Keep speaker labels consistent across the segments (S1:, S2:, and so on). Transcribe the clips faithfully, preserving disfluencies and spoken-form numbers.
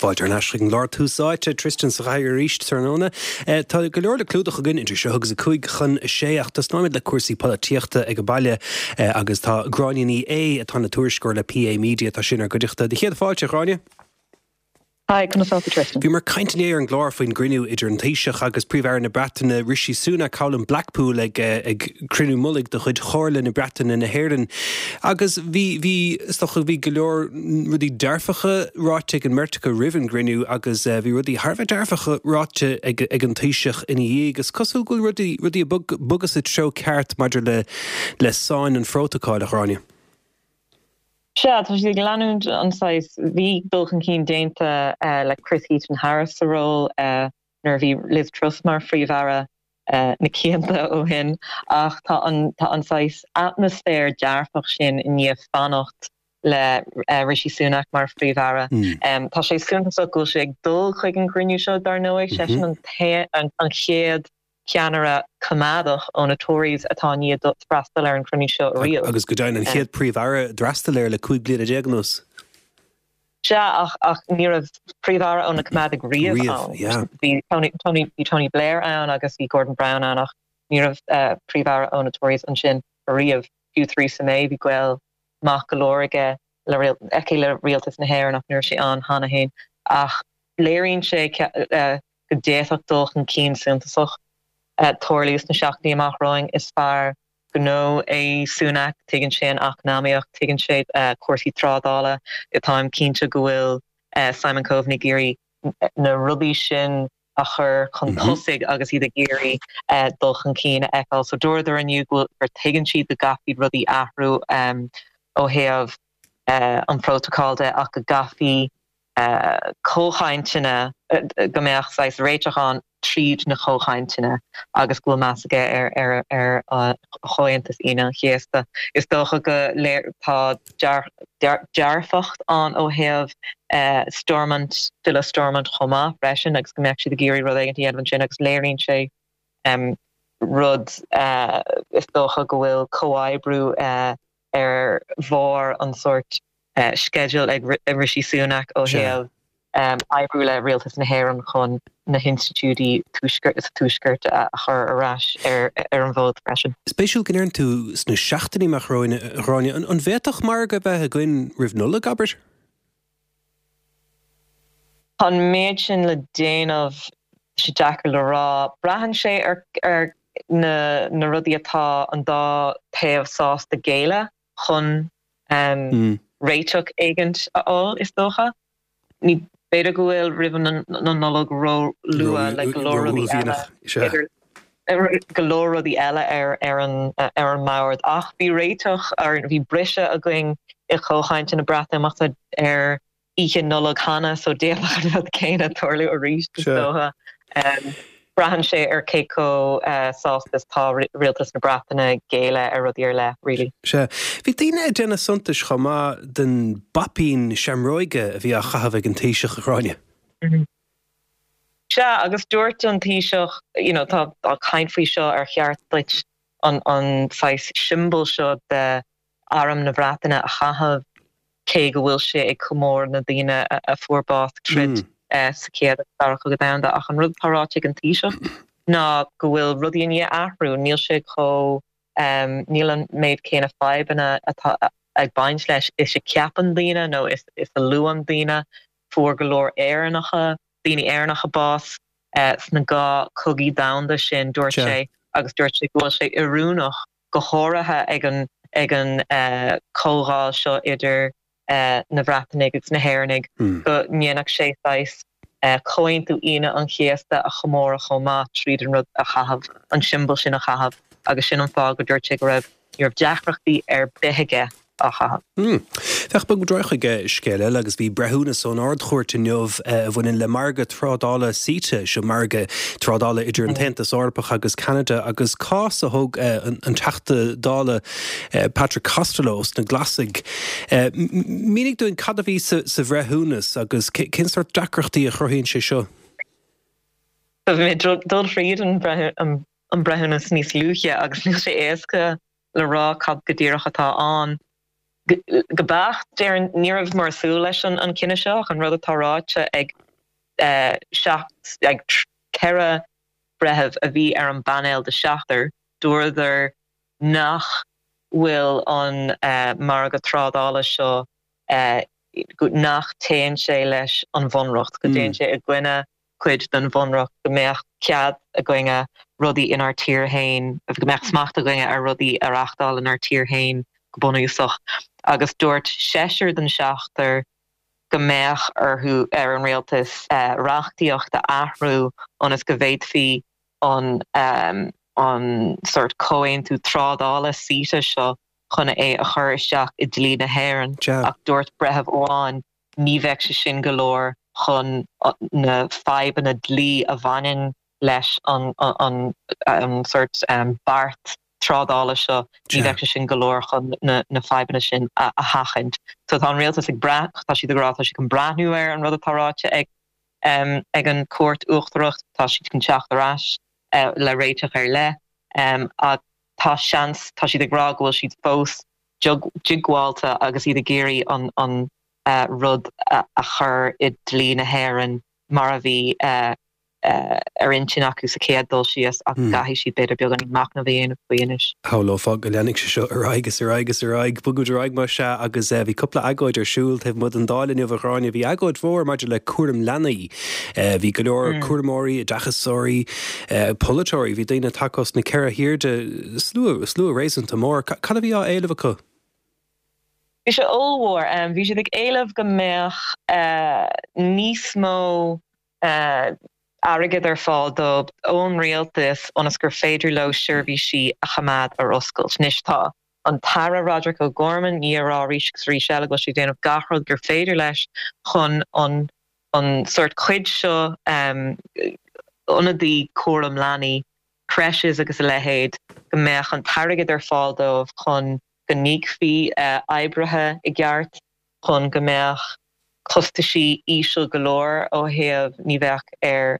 S1: Fáilte ar ais chuig an gclár Tús Áite Tristan sa chathaoir arís tráthnóna. Tá go leor le clúdach againn idir seo agus a cúig chun a sé ach tosnóimid le cúrsaí polaitíochta ag an baile agus tá Gráinne Ní Aodha atá ina tuairisceoir le PA Media tá sí inár gcuideachta. Do chéad fáilte Ghráinne?
S2: Hi, conas tá Tristan.
S1: Bhíomar ag caint inné ar an gclár faoin gcruinniú idir an Taoiseach agus Príomh-Aire na Breataine Rishi Sunak thall in Blackpool ag ag cruinniú mullaigh de chuid Chomhairle na Breataine na hÉireann. Agus bhí bhí bhí go leor rudaí dearfacha ráite ag an mbeirt acu roimh an gcruinniú agus bhí rudaí thar bheith dearfacha ráite ag, ag an Taoiseach ina dhiaidh agus cosúil go bhfuil rudaí rudaí ag bogadh sa treo ceart maidir le le sáinn an phrótacail a Ghráinne.
S2: Sea, tá siad ag leanúint an saghas bhí dul chun cinn déanta le Chris Heaton Harris sa ról nuair a bhí Liz Truss mar phríomh-aire na cianta ó shin ach tá an tá an saghas atmaisféar dearfach sin i ndiaidh fanacht le Rishi Sunak mar phríomh-aire. Tá sé suntasach go bhfuil sé ag dul chuig an gcruinniú seo dar ndóigh sé sin an an chéad ceannaire coimeádach ó na Tories atá i ndiaidh freastal ar an chruinniú seo riamh.
S1: Agus go deimhin an chéad príomh-aire d'fhreastal air le cúig bliana déag anuas.
S2: Sea ach ach ní raibh príomh-aire ó na coimeádaigh riamh ann. Bhí Tony, Tony, bhí Tony Blair ann agus bhí Gordon Brown ann ach ní raibh uh, príomh-aire ó na Tories ansin riamh. Fiú Theresa May bhí gaol maith go leor aige le aici le rialtas na hÉireann ach ní raibh sé ann cheana féin ach léiríonn sé uh, go d'fhéadfadh dul chun cinn suntasach tarlú sna seachtainí amach romhainn is fear gnó é Sunak tuigeann sé an eacnamaíocht tuigeann sé cúrsaí trádála táim cinnte go bhfuil Simon Coveney ag iarraidh na rudaí sin a chur chun tosaigh agus iad ag iarraidh dul chun cinn a fheiceáil. So dúradar inniu gur tuigeann siad go gcaithfí rudaí athrú ó thaobh an phrótacail de ach go gcaithfí comhchainteanna go mbeadh saghas réiteach ann tríd na comhchainteanna agus go bhfuil meas aige ar ar ar Chomhaontas Aoine an Chéasta. Is dócha go léir tá dearfacht ann ó thaobh Stormont filleadh Stormont chomh maith freisin agus go mbeadh siad ag iarraidh rud éigin a dhéanamh ansin agus léiríonn sé rud is dócha go bhfuil comhoibriú ar bharr an sórt sceideal ag Rishi Sunak ó thaobh oibriú le rialtas na hÉireann chun na hinstitiúidí sa tuaisceart a chur ar ais ar ar an bhfód freisin.
S1: Spéisiúil go ndeireann tú sna seachtainí amach romhainn an bhféadfadh margadh bheith againn roimh Nollaig abair?
S2: Tá an méid sin le déanamh sé deacair le rá. Braitheann sé ar ar na na rudaí atá an dá taobh sásta géilleadh chun um, réiteach éigin a fháil is dócha. Ní b'fhéidir go bhfuil roimh an Nollaig ró-luath le go leor rudaí eile go leor rudaí eile ar ar an ar an mbord ach bhí réiteach ar bhí briseadh againn i gcomhchainteanna na Breatimeachta ar oíche Nollag cheana so d'fhéadfadh an rud céanna tarlú arís is dócha. Um, Braitheann sé ar cé chomh uh, sásta is tá rialtas na Breataine géilleadh ar rudaí ar leith really.
S1: Sea, bhí daoine ag déanamh suntais chomh maith den bpaipín seamróige a bhí á chaitheamh ag an Taoiseach a Ghráinne.
S2: Mm -hmm. Sea agus dúirt an Taoiseach you know, tá tá caint faoi seo ar cheart duit an an saghas siombail seo de arm na Breataine a chaitheamh cé go bhfuil sé ag comóradh na daoine a, a fuair bás tríd mm. uh, sa chéad dara cogadh domhanda ach an rud atá ráite ag an Taoiseach ná go bhfuil rudaí i ndiaidh athrú níl sé chomh um, níl an méid céanna fadhbanna atá ag baint leis is a cheapann daoine nó is, is a luann daoine fuair go leor Éireannacha daoine Éireannacha bás uh, sna dhá chogaí domhanda sin dúirt sé agus dúirt sé go bhfuil sé oiriúnach go háirithe ag an ag an uh, comhdháil seo idir uh, na Breatanaigh agus na hÉireannaigh mm. go ndéanfadh sé saghas uh, Comhaontú Aoine an Chéasta a chomóradh chomh maith tríd an rud a chaitheamh an siombail sin a chaitheamh agus sin an fáth go dúirt sé go raibh ní raibh deacrachtaí ar bith aige á chaitheamh.
S1: Mm. Féach bog chuig scéal eile agus bhí breithiúnas ón Ard-Chúirt inniu a bhaineann le margadh trádála CETA seo margadh trádála idir an tAontas Eorpach agus Ceanada agus cás a thóg an Teachta Dála Patrick Costello sna Glasaigh. Mínigh dúinn cad a bhí sa bhreithiúnas agus cén sórt deacrachtaí a chruthaíonn sé seo?
S2: Bhí mé dul fríd an an breithiúnas níos luaithe agus níl sé éasca le rá cad go díreach atá ann. Go beacht, déarfainn, ní rabhamar ag súil leis an an cinneadh seo ach an rud atá ráite ag seacht ag ceithre breitheamh a bhí ar an bpainéal de sheachtar, dúradar nach bhfuil an margadh trádála seo nach dtéann sé leis an bhunreacht, go dtéann sé i gcoinne cuid den bhunreacht, go mbeadh cead againne rudaí inár tír féin, go mbeadh smacht againne ar rudaí a reáchtáil inár tír féin go bunúsach. Agus dúirt seisear den seachtar go mbeadh orthu, ar an rialtas, reachtaíocht a athrú ionas go bhféadfaí an an sórt comhaontú trádála CETA seo chun é a chur isteach i dlí na hÉireann. Ach dúirt breitheamh amháin ní bheadh sé sin go leor chun na fadhbanna dlí a bhaineann leis an an sórt beart trádála seo, ní bheadh sé sin go leor chun na na fadhbanna sin a sheachaint. So tá an rialtas ag brath, tá siad ag rá tá siad chun breathnú ar an rud atá ráite ag ag an Chúirt Uachtarach, tá siad chun teacht ar ais le réiteach ar leith ach tá seans, tá siad ag rá go bhfuil siad fós diogbháilte agus iad ag iarraidh an an rud a chur i dlí na hÉireann mar a bhí ar intinn acu sa chéad dul síos ach caithfidh siad b'fhéidir beagán machnamh a dhéanamh faoi anois.
S1: Shamhlófá go leanfaidh sé seo ar aghaidh is ar aghaidh is ar aghaidh. Bogfaimid ar aghaidh mar sea agus bhí cúpla agóid ar siúl taobh amuigh den Dáil inniu a Ghráinne. Bhí agóid mhór maidir le cúram leanaí. Bhí go leor cúramóirí, oideachasóirí, polaiteoirí, bhí daoine tagtha as na ceithre hairde, slua, slua réasúnta mór. Cad a bhí á éileamh acu?
S2: Bhí sé ollmhór. Bhí siad ag éileamh go mbeadh níos mó airgead ar fáil dóibh ón rialtas ionas gur féidir leo seirbhísí a choimeád ar oscailt. Anois tá an tAire Roderic O'Gorman i ndiaidh a rá arís agus arís eile go bhfuil sé ag déanamh gach rud gur féidir leis chun an an sórt cuid seo ionadaí cúram leanaí, creches agus a leithéid, go mbeadh an t-airgead ar fáil dóibh chun go n-íocfaí oibrithe i gceart, chun go mbeadh costaisí íseal go leor ó thaobh ní bheadh ar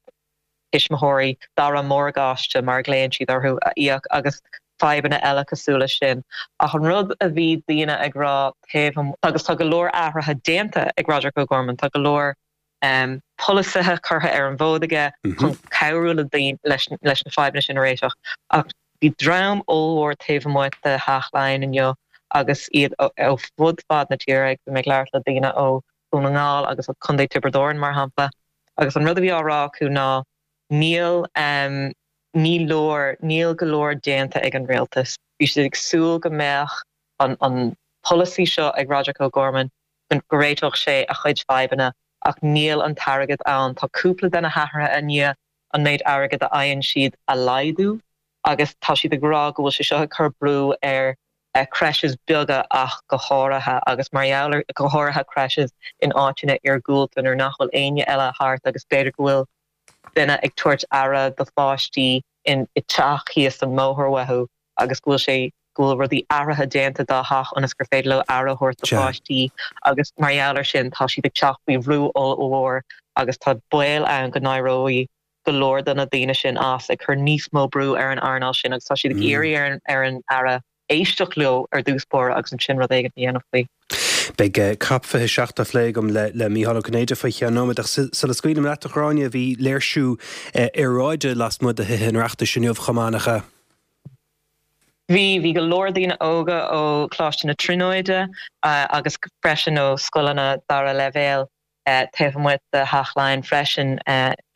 S2: thuismitheoirí dara morgáiste, mar a ghlaonn siad orthu, a íoc agus fadhbanna eile cosúil leis sin. Ach an rud a bhí daoine ag rá taobh agus tá go leor athruithe déanta ag Roderic O'Gorman, tá go leor polasaithe curtha ar an bhfód aige chun cabhrú le daoine leis leis na fadhbanna sin a réiteach. Ach bhí dream ollmhór taobh amuigh de Theach Laighean inniu agus iad ó fud fad na tíre, bhí mé ag labhairt le daoine ó Dhún na nGall agus ó Chontae Tiobraid Árann mar shampla, agus an rud a bhí á rá acu ná níl ní leor, níl go leor déanta ag an rialtas. Bhí siad ag súil go mbeadh an an polasaí seo ag Roderic O'Gorman go réiteodh sé a chuid fadhbanna ach níl an t-airgead ann. Tá cúpla de na hathruithe i ndiaidh an méid airgid a fhaigheann siad a laghdú agus tá siad ag rá go bhfuil sé seo ag cur brú ar creches beaga ach go háirithe agus mar gheall ar go háirithe creches in áiteanna iargúlta nuair nach bhfuil éinne eile thart agus b'fhéidir go bhfuil duine ag tabhairt aire do pháistí in i teach thíos an mbóthar uathu agus go bhfuil sé go bhfuil rudaí athraithe déanta dá theach ionas gur féidir leo aire a thabhairt do pháistí agus mar gheall ar sin tá siad ag teacht faoi bhrú ollmhór agus tá baol ann go n-éireoidh go leor de na daoine sin as, ag cur níos mó brú ar an earnáil sin agus tá siad ag iarraidh ar an ar an Aire éisteacht leo ar dtús báire agus ansin rud éigin a dhéanamh faoi.
S1: Beidh COP fiche a seacht á phlé agam le le Mícheál Ó Cinnéide faoi cheann nóiméad ach sula scaoilim leat a Ghráinne, bhí léirsiú aeráide lasmuigh de Thithe an Oireachtais inniu chomh maith, nach ea?
S2: Bhí, bhí go leor daoine óga ó Choláiste na Tríonóide agus freisin ó scoileanna dara leibhéal taobh amuigh de Theach Laighean freisin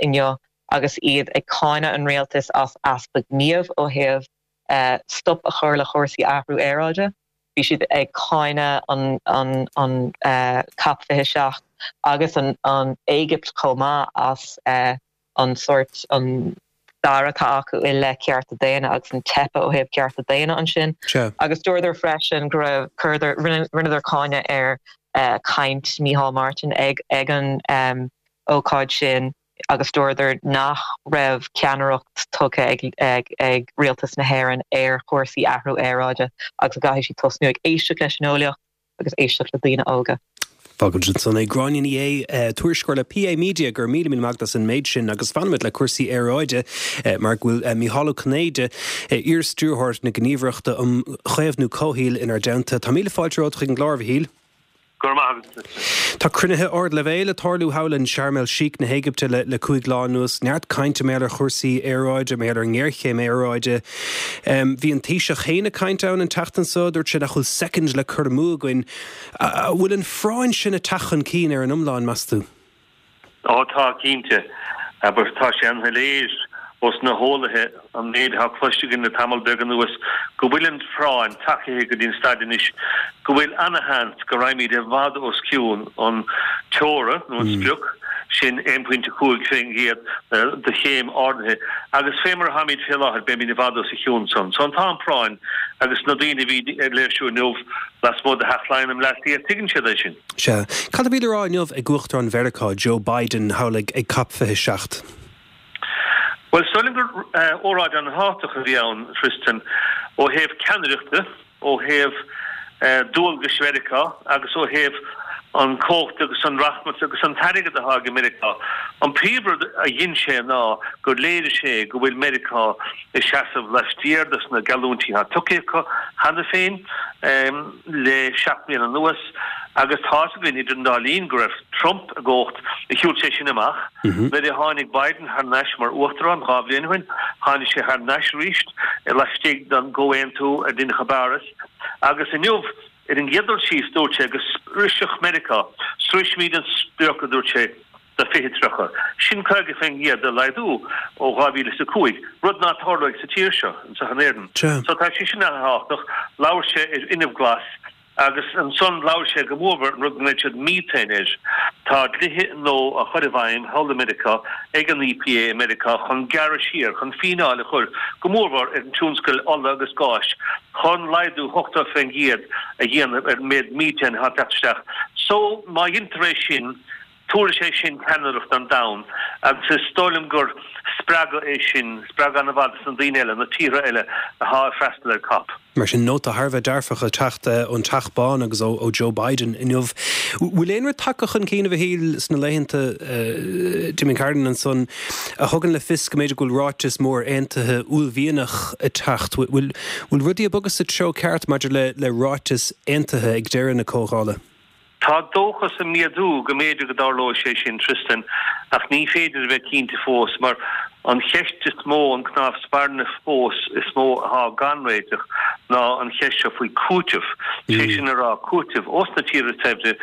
S2: inniu agus iad ag cáineadh an rialtais as easpa gníomh ó thaobh stop a chur le chúrsaí athrú aeráide. Bhí siad ag cáineadh an an an COP fiche seacht agus an an Éigipt chomh maith as an sórt an stair atá acu i leith cearta daonna agus an teipe ó thaobh cearta daonna ansin. Agus dúradar freisin go raibh chuireadar rinneadar cáineadh ar chaint Micheál Martin ag ag an ócáid sin agus dúradar nach raibh ceannaireacht tugtha ag ag ag rialtas na hÉireann ar chúrsaí athrú aeráide agus go gcaithfidh siad tosnú ag éisteacht leis an eolaíocht agus éisteacht le daoine óga.
S1: Fágfaimid ansan é. Gráinne Ní Aodha, tuairisceoir le P A Media, go raibh míle míle maith agat as an méid sin agus fanfaimid le cúrsaí aeráide mar go bhfuil Mícheál Ó Cinnéide, iar-stiúrthóir na Gníomhaireachta um Chaomhnú Comhshaoil inár dteannta. Tá míle fáilte romhat chuig an gclár, a Mhichíl.
S3: Go raibh maith agat.
S1: Tá cruinnithe ardleibhéil ag tarlú thall in Sharm el Sheikh na hÉigipte le le cúig lá anuas. Neart cainte mar gheall ar chúrsaí aeráide, mar gheall ar an ngéarchéim aeráide. Bhí an Taoiseach féin ag caint ann an tseachtain seo, dúirt sé nach bhfuil soicind le cur amú againn. An bhfuil an phráinn sin ag teacht chun cinn ar an iomlán, meas tú?
S3: Ó tá, cinnte. Abair, tá sé an-shoiléir ós na heolaithe, an méid atá cloiste againn le tamall beag anuas, go bhfuil an phráinn tagtha go dtí an staid anois go bhfuil ana-sheans go raghaimid i bhfad os cionn an teora nó an sprioc sin aon phointe cúig faoin gcéad de chéim ardaithe agus fé mar atáimid fé láthair beimid i bhfad os a chionn san. So tá an phráinn agus na daoine a bhí ag léirsiú inniu lasmuigh de Theach Laighean i mBleá Cliath, tuigeann siad é sin.
S1: Sea. Cad a bhí le rá inniu ag Uachtarán Mheiriceá, Joe Biden, thall ag Cop fiche seacht?
S3: Bhuel, is dóigh liom gur óráid an-thábhachtach a bhí ann, Tristan, ó thaobh ceannaireachta, ó thaobh dualgais Mheiriceá agus ó thaobh an chumhacht agus an rachmas agus an t-airgead atá ag Meiriceá. An príomhrud a dhein sé ná gur léirigh sé go bhfuil Meiriceá ag seasamh laistiar dos na geallúintí atá tugtha acu cheana féin le seacht mbliana anuas agus tá fhios againn idir an dá linn go raibh Trump i gcumhacht a shiúil sé sin amach. Nuair a tháinig Biden thar n-ais mar uachtarán dhá bhliain ó shin, tháinig sé thar n-ais arís laistigh den gcomhaontú a deineadh i bPáras agus inniu ar an gcéad dul síos dúirt sé go sroisfeadh Meiriceá, sroisfimid an sprioc a dúirt sé do fiche tríocha. Sin caoga faoin gcéad de laghdú ó dhá mhíle is a cúig, rud ná tarlóidh sa tír seo, anseo in Éirinn. So tá sé sin an-thábhachtach. Labhair sé ar fhuinneamh glas agus ansan labhair sé go mórmhór an rud go nglaonn siad methane air. Tá dlíthe nua á chur i bhfeidhm thall i Meiriceá ag an E P A i Meiriceá chun gearradh siar, chun fíneáil a chur go mórmhór ar an tionscal ola agus gáis chun laghdú ochtó faoin gcéad a dhéanamh ar an méid methane atá ag teacht isteach. So má dheintear é sin, tabharfaidh sé sin ceannaireacht don domhan agus is dóigh liom gur spreagadh é sin, spreagadh an-mhaith dos na daoine eile, na tíortha eile atá ag freastal ar COP.
S1: Mar sin, nóta thar a bheith dearfach ag teacht ón Teach Bán agus ó Joe Biden inniu. Bhfuil aon rud tagtha chun cinn, a Mhichíl, sna laethanta, d'imigh Carden ansan, a thugann le fios go mb'fhéidir go bhfuil ráiteas mór aontaithe uaillmhianach ag teacht? Bhfuil rudaí ag bogadh sa treo ceart maidir le ráiteas aontaithe ag deireadh na comhdhála?
S3: Tá dóchas ag méadú go mb'fhéidir go dtarlóidh sé sin, Tristan, ach ní féidir a bheith cinnte fós, mar an cheist is mó, an cnámh spairne fós is mó atá gan réiteach ná an cheist seo faoi chúiteamh, sé sin a rá, cúiteamh ós na tíortha saibhre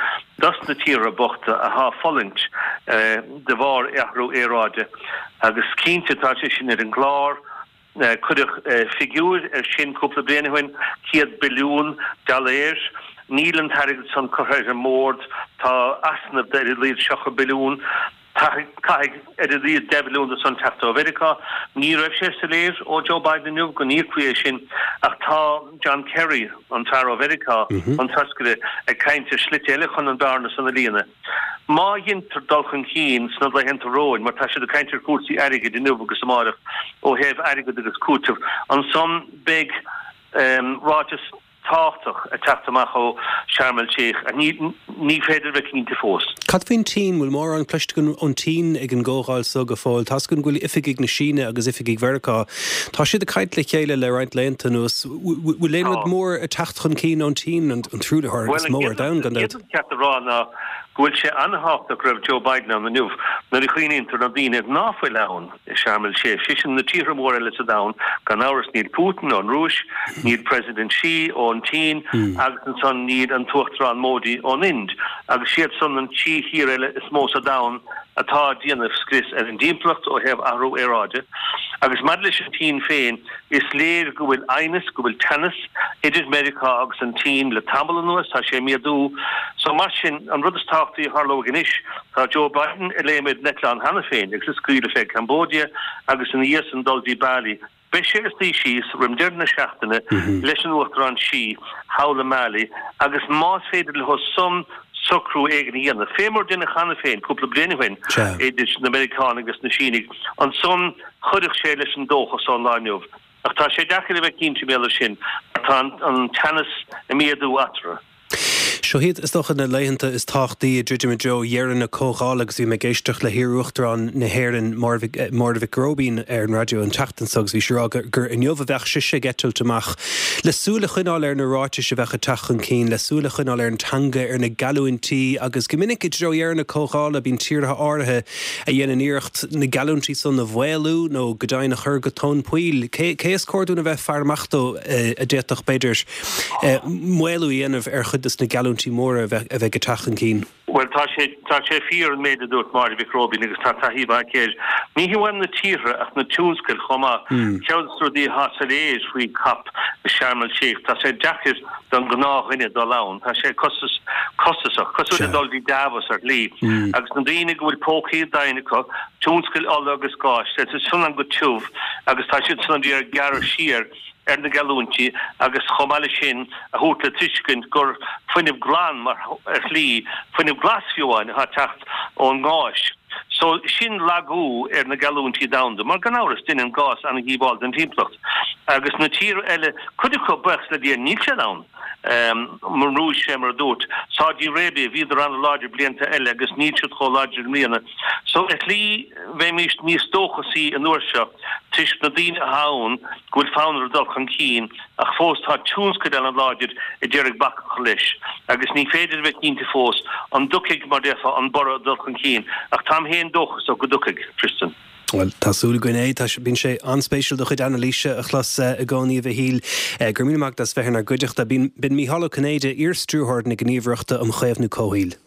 S3: dos na tíortha bochta atá ag fulaingt de bharr athrú aeráide. Agus cinnte tá sé sin ar an gclár. Cuireadh figiúir air sin cúpla bliain ó shin, céad billiún dollar. Níl an t-airgead san curtha ar an mbord. Tá easnamh de ar a laghad seachtó billiún. Caithfidh ar a laghad deich bhilliún de san teacht ó Mheiriceá. Ní raibh sé soiléir ó Joe Biden inniu go n-íocfaí é sin ach tá John Kerry, an fear ó Mheiriceá, an toscaire, ag caint ar shlite eile chun an bhearna san a líonadh. Má dheintear dul chun cinn sna laethanta romhainn, mar tá siad ag caint ar chúrsaí airgid inniu agus amáireach ó thaobh airgead agus cúiteamh, ansan beidh ráiteas tábhachtach ag teacht amach ó Sharm el Sheikh. Ní féidir a bheith cinnte fós.
S1: Cad faoin tSín? Bhfuil mórán cloiste againn ón tSín ag an gcomhdháil so go fóill? Tá's againn go bhfuil oifigigh na Síne agus oifigigh Mheiriceá, tá siad ag caint le chéile le roinnt laethanta anuas. Bhfuil aon rud mór ag teacht chun cinn ón tSín, an truaillitheoir is mó ar domhan, gan dabht?
S3: Bhuel, an chéad rud is ceart a rá ná go bhfuil sé an-thábhachtach go raibh Joe Biden ann inniu nuair a chuimhníonn tú ar na daoine ná fuil ann i Sharm el Sheikh, sé sin na tíortha móra eile sa domhan, gan amhras níl Putin ón Rúis, níl President Xi ón tSín agus ansan níl an tUachtarán Modi ón Ind agus siad san an trí thír eile is mó sa domhan atá ag déanamh scrios ar an dtimpeallacht ó thaobh athrú aeráide. Agus maidir leis an tSín féin, is léir go bhfuil aighneas, go bhfuil teannas idir Meiriceá agus an tSín le tamall anuas, tá sé ag méadú. So mar sin, an rud is tábhachtaí a tharlóidh anois, tá Joe Biden ag léim ar an eitleán cheana féin agus ag scaoileadh fé Cambodia agus ina dhiaidh san dul dtí Bali. Beidh sé ag suí síos roim deireadh na seachtaine leis an Uachtarán Xi thall i mBali agus más féidir leo san socrú éigin a dhéanamh, fé mar deineadh cheana féin cúpla bliain ó shin idir na Meiriceánaigh agus na Sínigh, ansan chuirfeadh sé leis an dóchas ón lá inniu. Ach tá sé deacair a bheith cinnte mar gheall air sin mar tá an teannas ag méadú eatarthu.
S1: Seo iad, is dócha, na laethanta is tábhachtaí ag druidim i dtreo dheireadh na comhdhála agus bhí mé ag éisteacht le hiar-Uachtarán na hÉireann, Máire Mhic Róibín, ar an raidió an tseachtain seo agus bhí sí ag rá gur inniu a bheadh sise ag eitilt amach le súil a choinneáil ar na ráitis a bheadh ag teacht chun cinn, le súil a choinneáil ar an teanga, ar na geallúintí agus go minic i dtreo dheireadh na comhdhála bíonn tíortha áirithe a dhéanann iarracht na geallúintí san a mhaolú nó go deimhin a chur go tóin poill. Cé is cóir dúinn a bheith ag faire amach dó a d'fhéadfadh, b'fhéidir, maolú a dhéanamh ar chuid de na geallúintí móra a bheidh ag teacht chun cinn?
S3: Bhuel, tá sé, tá sé fíor an méid a dúirt Máire Mhic Róibín agus tá taithí mhaith aici air. Ní hamháin na tíortha ach na tionscail chomh maith. Ceann de na rudaí atá soiléir faoi COP i Sharm el Sheikh, tá sé deacair don ghnáthdhuine dul ann. Tá sé costas, costasach, cosúil le dul dtí Davos ar shlí. Agus na daoine go bhfuil pócaí doimhne acu, tionscail ola agus gáis, tá siad san go tiubh agus tá siad san ag iarraidh gearradh siar ar na geallúintí agus chomh maith leis sin a thabhairt le tuiscint gur fuinneamh glan mar ar shlí, fuinneamh glas fiú amháin, atá ag teacht ón ngás. So sin lagú ar na geallúintí domhanda, mar gan amhras déanann gás an-dhíobháil don timpeallacht. Agus na tíortha eile, cuid acu, buíochas le Dia, níl siad ann. An Rúis, fé mar a dúirt, Saudi Arabia, bhíodar an-láidir blianta eile agus níl siad chomh láidir i mbliana. So ar shlí bheimís níos dóchasaí an uair seo toisc na daoine atá ann go bhfuil fonn orthu dul chun cinn ach fós tá tionscail an-láidir a d'iarraidh bac a chur leis agus ní féidir a bheith cinnte fós an dtiocfaidh, mar déarfá, an borradh dul chun cinn ach táim féin dóchasach go dtiocfaidh, Tristan.
S1: Bhuel, tá súil againn é. Tá sé, bíonn sé an-spéisiúil do chuid anailíse a chlos i gcónaí, a Mhichíl. Go raibh míle maith agat as bheith inár gcuideachta. B'in Mícheál Ó Cinnéide, iar-Stiúrthóir na Gníomhaireachta um Chaomhnú Comhshaoil.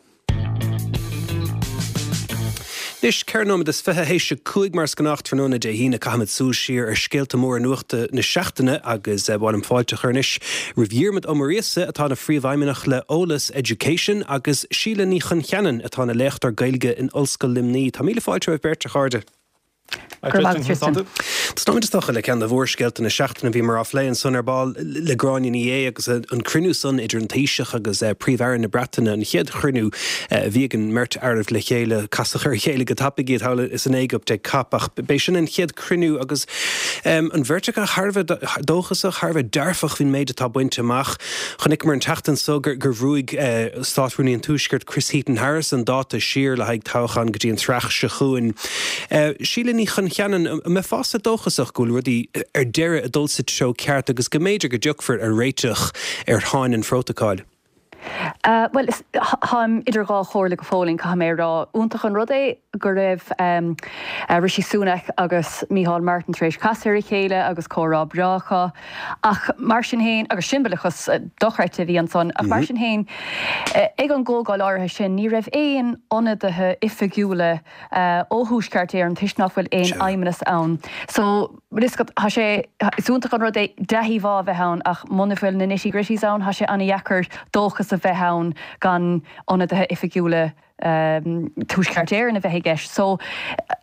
S1: Anois, ceithre nóiméad is fiche théis a cúig mar is gnách tráthnóna Dé hAoine, caithfimid súil siar ar scéalta móra nuachta na seachtaine agus ba mhaith liom fáilte a chur anois roimh Dhiarmaid Ó Muiríosa atá ina Phríomhfheidhmeannach le Eolas Education agus Síle Ní Choncheanainn atá ina léachtóir Gaeilge in Ollscoil Luimnigh. Tá míle fáilte romhaibh beirt, a chairde. Tosnóimid is dócha le ceann de mhórscéalta na seachtaine. Bhíomar á phlé ansan ar ball le Gráinne Ní Aodha agus an cruinniú san idir an Taoiseach agus Príomh-Aire na Breataine, an chéad chruinniú a bhí ag an mbeirt aireibh le chéile. Casadh ar a chéile go tapaidh iad thall san Éigipt ag COP ach b'é sin an chéad chruinniú agus an bheirt acu thar a bheith dóchasach, thar a bheith dearfach faoin méid atá bainte amach. Chonaiceamar an tseachtain so gur bhrúigh Státrúnaí an Tuaiscirt Chris Heaton-Harris an dáta siar le haghaidh toghchán go dtí an tSraith seo chugainn. Síle Ní Choncheanainn, an mbeifeása dóchasach go bhfuil rudaí ar deireadh ag dul sa treo ceart agus go mb'fhéidir go dtiocfar ar réiteach ar sháinn an phrótacail?
S4: Bhuel, táim idir dhá chomhairle go fóillín, caithfidh mé a rá. Iontach an rud é go raibh Rishi Sunak agus Micheál Martin tar éis casadh ar a chéile agus comhrá breá acu. Ach mar sin féin, agus siombalachas dochreidte a bhí ansan, ach mar sin féin, ag an gcomhdháil áirithe sin, ní raibh aon ionadaithe oifigiúla ó Thuaisceart Éireann toisc nach bhfuil aon fheidhmeannas ann. So, bhfuil fhios agat, tá sé, is iontach an rud é dea-íomhá a bheith ann ach muna bhfuil na nitty gritties ann, tá sé an-dheacair dóchas a bheith ann gan ionadaithe oifigiúla Tuaisceart Éireann a bheith i gceist. So,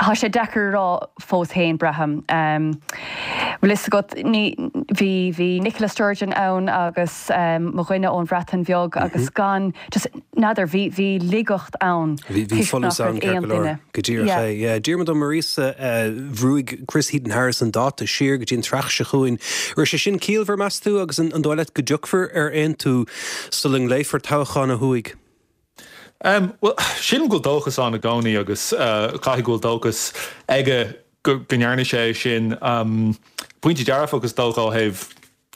S4: tá sé deacair a rá fós féin, braithim. Bhfuil fhios agat, ní, bhí, bhí Nicola Sturgeon ann agus mo dhuine ón Bhreatain Bheag agus gan, just, n'fheadar, bhí, bhí laigeacht ann
S1: Bhí, bhí
S4: toisc
S1: folús
S4: nach
S1: ann
S4: raibh
S1: ceart
S4: aon
S1: go leor.
S4: duine.
S1: Go díreach
S4: Yeah.
S1: é. Yeah. Diarmuid Ó Muiríosa, bhrúigh Chris Heaton-Harris an dáta siar go dtí an tSraith seo chugainn. Raibh sé sin ciallmhar, meas tú, agus an, an dóigh leat go dtiocfar ar aontú sula nglaofar toghchán ó thuaidh?
S5: Um, well, sílim go bhfuil dóchas ann i gcónaí agus uh, caithfidh go bhfuil dóchas aige go, go ndearna sé sin. Um, pointe dearfach is dócha ó thaobh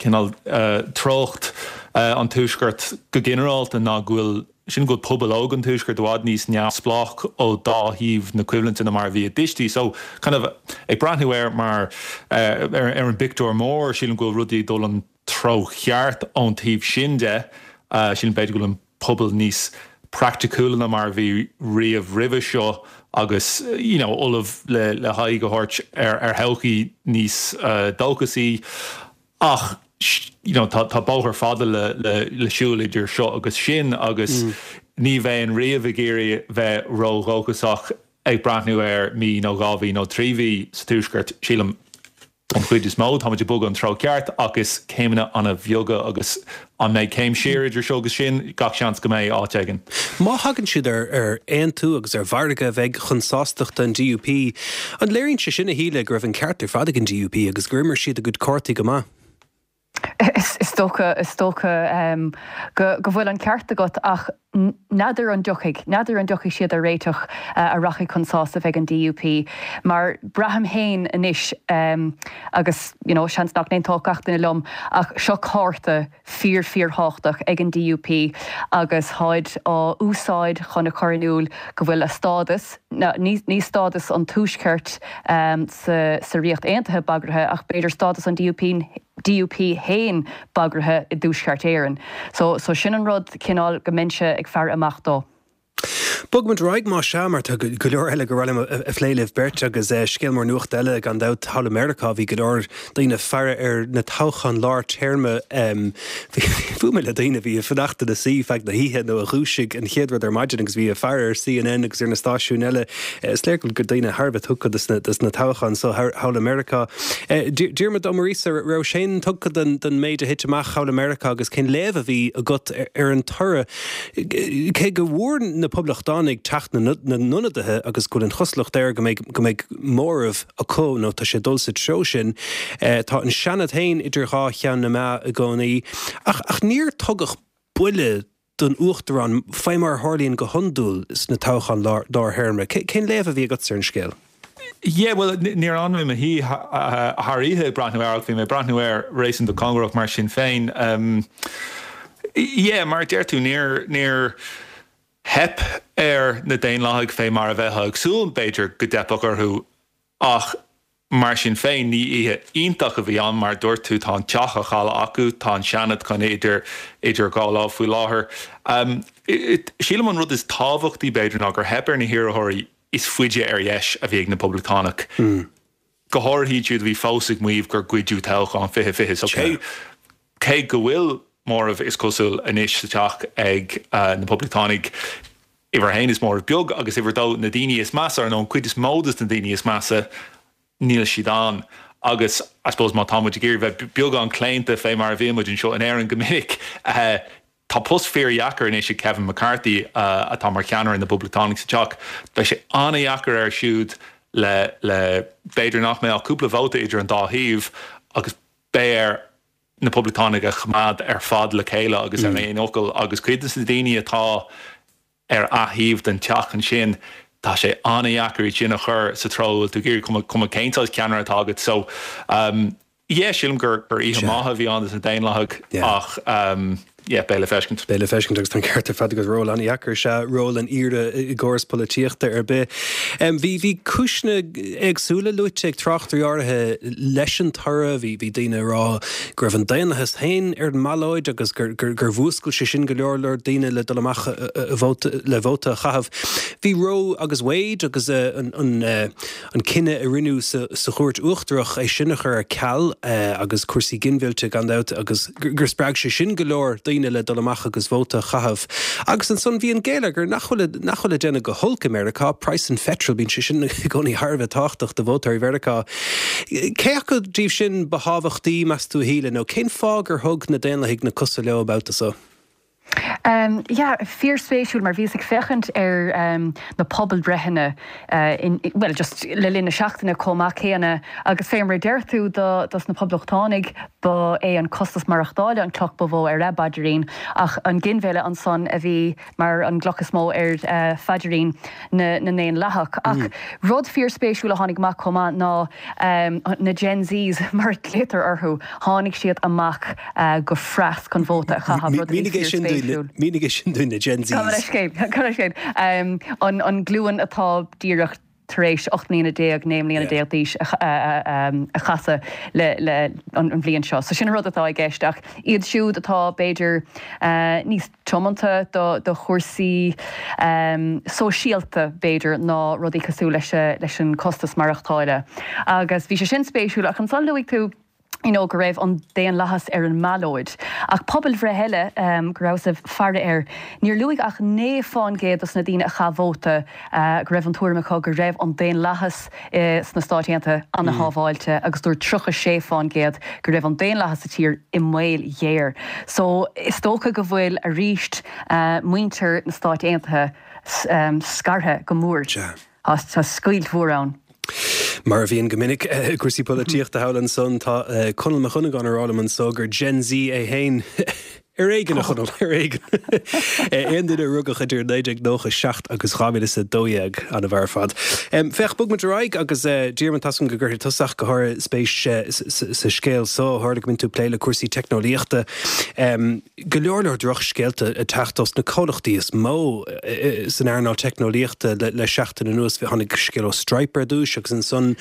S5: cineál uh, treocht uh, an tuaiscirt go ginearálta ná go bhfuil sin go bhfuil pobal óg an tuaiscirt i bhfad níos neamhspleách ó dá thaobh na coimhlinte ná mar a bhí a dtuistí. So kind of ag breathnú air mar uh, ar, ar an bpictiúr mór, sílim go bhfuil rudaí ag dul an treo cheart ón taobh sin de, uh, sílim b'fhéidir go bhfuil an pobal níos praiticiúla ná mar a bhí riamh roimhe seo agus you know, ullamh le, le haghaidh a thabhairt ar, ar thodhchaí níos uh, dóchasaí ach you know, tá, tá bóthar fada le, le, le siúl idir seo agus sin agus mm. ní bheinn riamh ag iarraidh bheith ródhóchasach ag breathnú ar mí nó dhá mhí nó trí mhí sa tuaisceart sílim an chuid is mó táimid ag bogadh an treo ceart agus céimeanna an-bheaga agus an mbeidh céim siar idir seo agus sin gach seans go mbeidh áit éigin.
S1: Má thagann siad ar ar aontú agus ar mhargadh a bheidh chun sástachta an D U P, an léiríonn sé sin a Shíle go raibh an ceart ar fad ag an D U P agus gur imir siad a gcuid cártaí go maith?
S4: Is dócha is dócha um, go, go bhfuil an ceart agat ach n'fheadar an dtiocfaidh, n'fheadar an dtiocfaidh siad ar réiteach uh, a rachaidh chun sásamh ag an DUP, mar braithim féin anois um, agus you know, seans nach n-aontódh gach duine liom ach seo cárta fíor fíorthábhachtach ag an DUP agus táid á úsáid chun a chur in iúl go bhfuil a stádas, ní, ní stádas an tuaiscirt um, sa, sa Ríocht Aontaithe bagartha ach b'fhéidir stádas an DUP DUP féin bagartha i dTuaisceart Éireann. So, so sin an rud cineál go mbeinnse ag faire amach dó.
S1: Bogfaimid ar aghaidh má sea mar tá go leor eile go raibh a phlé libh beirt agus eh, scéal mór nuachta eile gan dabht thall i Meiriceá bhí go leor daoine faire ar na toghcháin lár téarma bhuail mé le daoine bhí ag fanacht ina suí feadh na hoíche nó a dhúisigh an chéad rud ar maidin agus bhí ag faire ar CNN agus ar na stáisiúin eile is léir go daoine thar a bheith tugtha dos na toghcháin so thall i Meiriceá. Eh, Diarmuid Ó Muiríosa raibh sé tugtha den den méid a thit amach thall i Meiriceá agus cén léamh a bhí agat ar an toradh cé go bhfuair na poblachtánaigh teach na n-ionadaithe agus go bhfuil an chosúlacht air go mbeidh go mbeidh móramh acu nó tá sé dul sa treo sin. Eh, tá an Seanad féin idir dhá cheann na meá i gcónaí ach ach níor tugadh buille don uachtarán fé mar a tharlaíonn go hiondúil sna toghcháin lár théarma. Cén léamh a bhí agat ar an scéal?
S5: Yeah, well níor fhan mé i mo shuí thar oíche ag breathnú air bhí mé breathnú air réasúnta cóngarach mar sin féin. Um, yeah, mar deir tú níor níor theip ar na Daonlathaigh fé mar a bheifeá ag súil b'fhéidir go dteipfeadh orthu ach mar sin féin ní oíche iontach a bhí ann mar dúirt tú tá an teach á chailleadh acu tá an Seanad chun idir idir dhá lámh faoi láthair. Um, Sílim an rud is tábhachtaí b'fhéidir ná gur theip ar na hiarrthóirí is faide ar dheis a bhí ag na Poblachtánaigh. Mm. Go háirithe siúd a bhí fós ag maíomh gur goideadh toghchán fiche fiche so cé cé go bhfuil móramh is cosúil anois sa teach ag uh, na Poblachtánaigh uimhir a haon is móramh beag agus uimhir a dó na daoine is measa ar nó an cuid is mó de na daoine is measa níl siad ann. Agus I suppose má tá muid ag iarraidh bheith beagán claonta fé mar a bhí muid anseo in Éirinn go minic uh, Tá post fíordheacair anois ag Kevin McCarthy uh, atá mar cheannaire na bPoblachtánach sa teach. Beidh sé an-deacair air siúd le le b'fhéidir nach mbeidh ach cúpla vóta idir an dá thaobh agus beidh air na Poblachtánaigh a choimeád ar fad le chéile agus mm. ar aon fhocal agus cuid de na daoine atá ar a thaobh den teach ansin tá sé an-deacair sin a chur sa treo tú gur cuma cuma cén ceannaire atá agat so um, yeah, sílim gur gur oíche maith a bhí ann dos na Daonlathaigh ach um, yeah, beidh le feiscint.
S1: Beidh le feiscint agus tá an ceart ar fad agus ról an-deacair sé ról an aoire i gcóras polaitíochta ar bith. Um, bhí bhí cúiseanna éagsúla luaite ag tráchtairí áirithe leis an toradh, bhí bhí daoine ag rá go raibh an daonlathas féin ar an mballóid agus gur, gur, gur mhúscail sé sin go leor leor daoine le dul amach vóta, le vóta a chaitheamh. Bhí Roe agus Wade agus uh, an, an, uh, an cinneadh a rinneadh sa, sa chúirt uachtarach é sin a chur ar ceal uh, agus cúrsaí ginmhillte gan dabht agus gur spreag sé sin go leor daoine le dul amach agus vóta a chaitheamh. Agus ansan bhí an geilleagar nach bhfuil nach bhfuil ag déanamh go holc i Meiriceá, praghas an pheitril bíonn sé sin i gcónaí thar a bheith tábhachtach do vótóirí Mheiriceá. Cé acu díobh sin ba thábhachtaí meas tú a Shíle nó cén fáth gur thug na Daonlathaigh na cosa leo babhta seo?
S4: Um, yeah, fíorspéisiúil mar bhíos ag féachaint ar um, na pobalbhreitheanna uh, in, well, just le linn na seachtaine chomh maith céanna agus fé mar deir tú do dos na poblachtánaigh ba é an costas maireachtála an cloch ba mhó ar a bpaidirín ach an ginmhilleadh ansan a bhí mar an gcloch is mó ar uh, phaidrín na, na nDaonlathach. Ach mm. rud fíorspéisiúil a tháinig amach chomh maith ná um, na Gen Zs mar a ghlaotar orthu tháinig siad amach uh, go fras chun vóta a chaitheamh rud a bhí fíorspéisiúil.
S1: Mínigh sin dúinn na Gen Zs.
S4: Um, an, an glúin atá díreach tar éis ocht mbliana déag naoi mbliana déag d'aois a chasadh le, le an, an bhliain seo. So sin rud atá i gceist ach iad siúd atá b'fhéidir uh, níos tiomanta do, do chúrsaí um, sóisialta b'fhéidir ná rudaí cosúil leis, leis an costas maireachtála. Agus bhí sé sin spéisiúil ach ansan luaigh tú you know, go raibh an daonlathas ar an mballóid. Ach pobalbhreith eile um, go rabhas ag faire air. Níor luaigh ach naoi faoin gcéad dos na daoine a chaith vóta uh, go raibh an tuairim acu go raibh an daonlathas uh, sna Stáit Aontaithe an-shábháilte mm. agus dúirt tríocha sé faoin gcéad go raibh an daonlathas sa tír i mbaol ghéar. So is dócha go bhfuil arís uh, muintir na Stáit Aontaithe um, scartha go mór. Tá scoilt mhór ann.
S1: Mar a bhíonn go minic i gcúrsaí polaitíochta thall ansan, tá Conall Mac Dhonnagáin ag rá liom anso gur Gen Z é féin. Ar éigean, a Chonaill, ar éigean. Aon duine a rugadh idir naoi déag nócha seacht agus dhá mhíle is a dó dhéag, an-fhear ar fad. Féach, bog muid ar aghaidh agus Diarmuid, tá a fhios agam go gcuirfidh tusa ach go háirithe spéis sa scéal so, tharla go mbíonn tú ag plé le cúrsaí teicneolaíochta. Go leor leor drochscéalta ag teacht ós na comhlachtaí is mó san earnáil teicneolaíochta le seachtain anuas. Tháinig scéal ó Stripe ar dtús agus ansan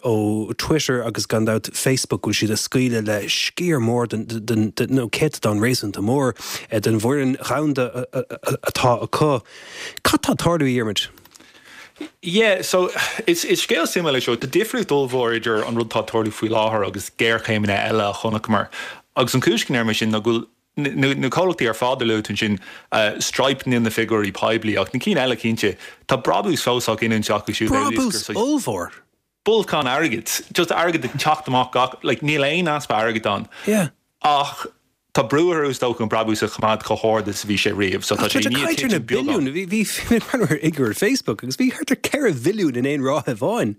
S1: ó Twitter agus gan dabht Facebook go bhfuil siad ag scaoileadh le sciar mór den, nó céatadán réasúnta mór den bhfoireann dhomhanda atá acu. Cad tá ag tarlú, a Dhiarmuid?
S5: Yeah, so is is scéal suimiúil é seo. Tá difríocht ollmhór idir an rud atá ag tarlú faoi láthair agus géarchéimeanna eile a chonaiceamar. Agus an chúis go ndeirim é sin ná go bhfuil na comhlachtaí ar fad a luaigh tú ansin, Stripe níl na figiúirí poiblí ach na cinn eile cinnte, tá brabús fós á ghiniúint acu siúd.
S1: Brabús ollmhór!
S5: Bolcán airgid, just airgead ag teacht amach gach, like níl aon easpa airgid ann.
S1: Yeah.
S5: Ach tá brú orthu is dócha an brabús a choimeád chomh hard is a bhí sé riamh. So tá sé i ndiaidh titim
S1: beagán. Bhí bhí mé ag breathnú ar fhigiúr Facebook agus bhí thart ar ceithre bhilliún in aon ráithe amháin.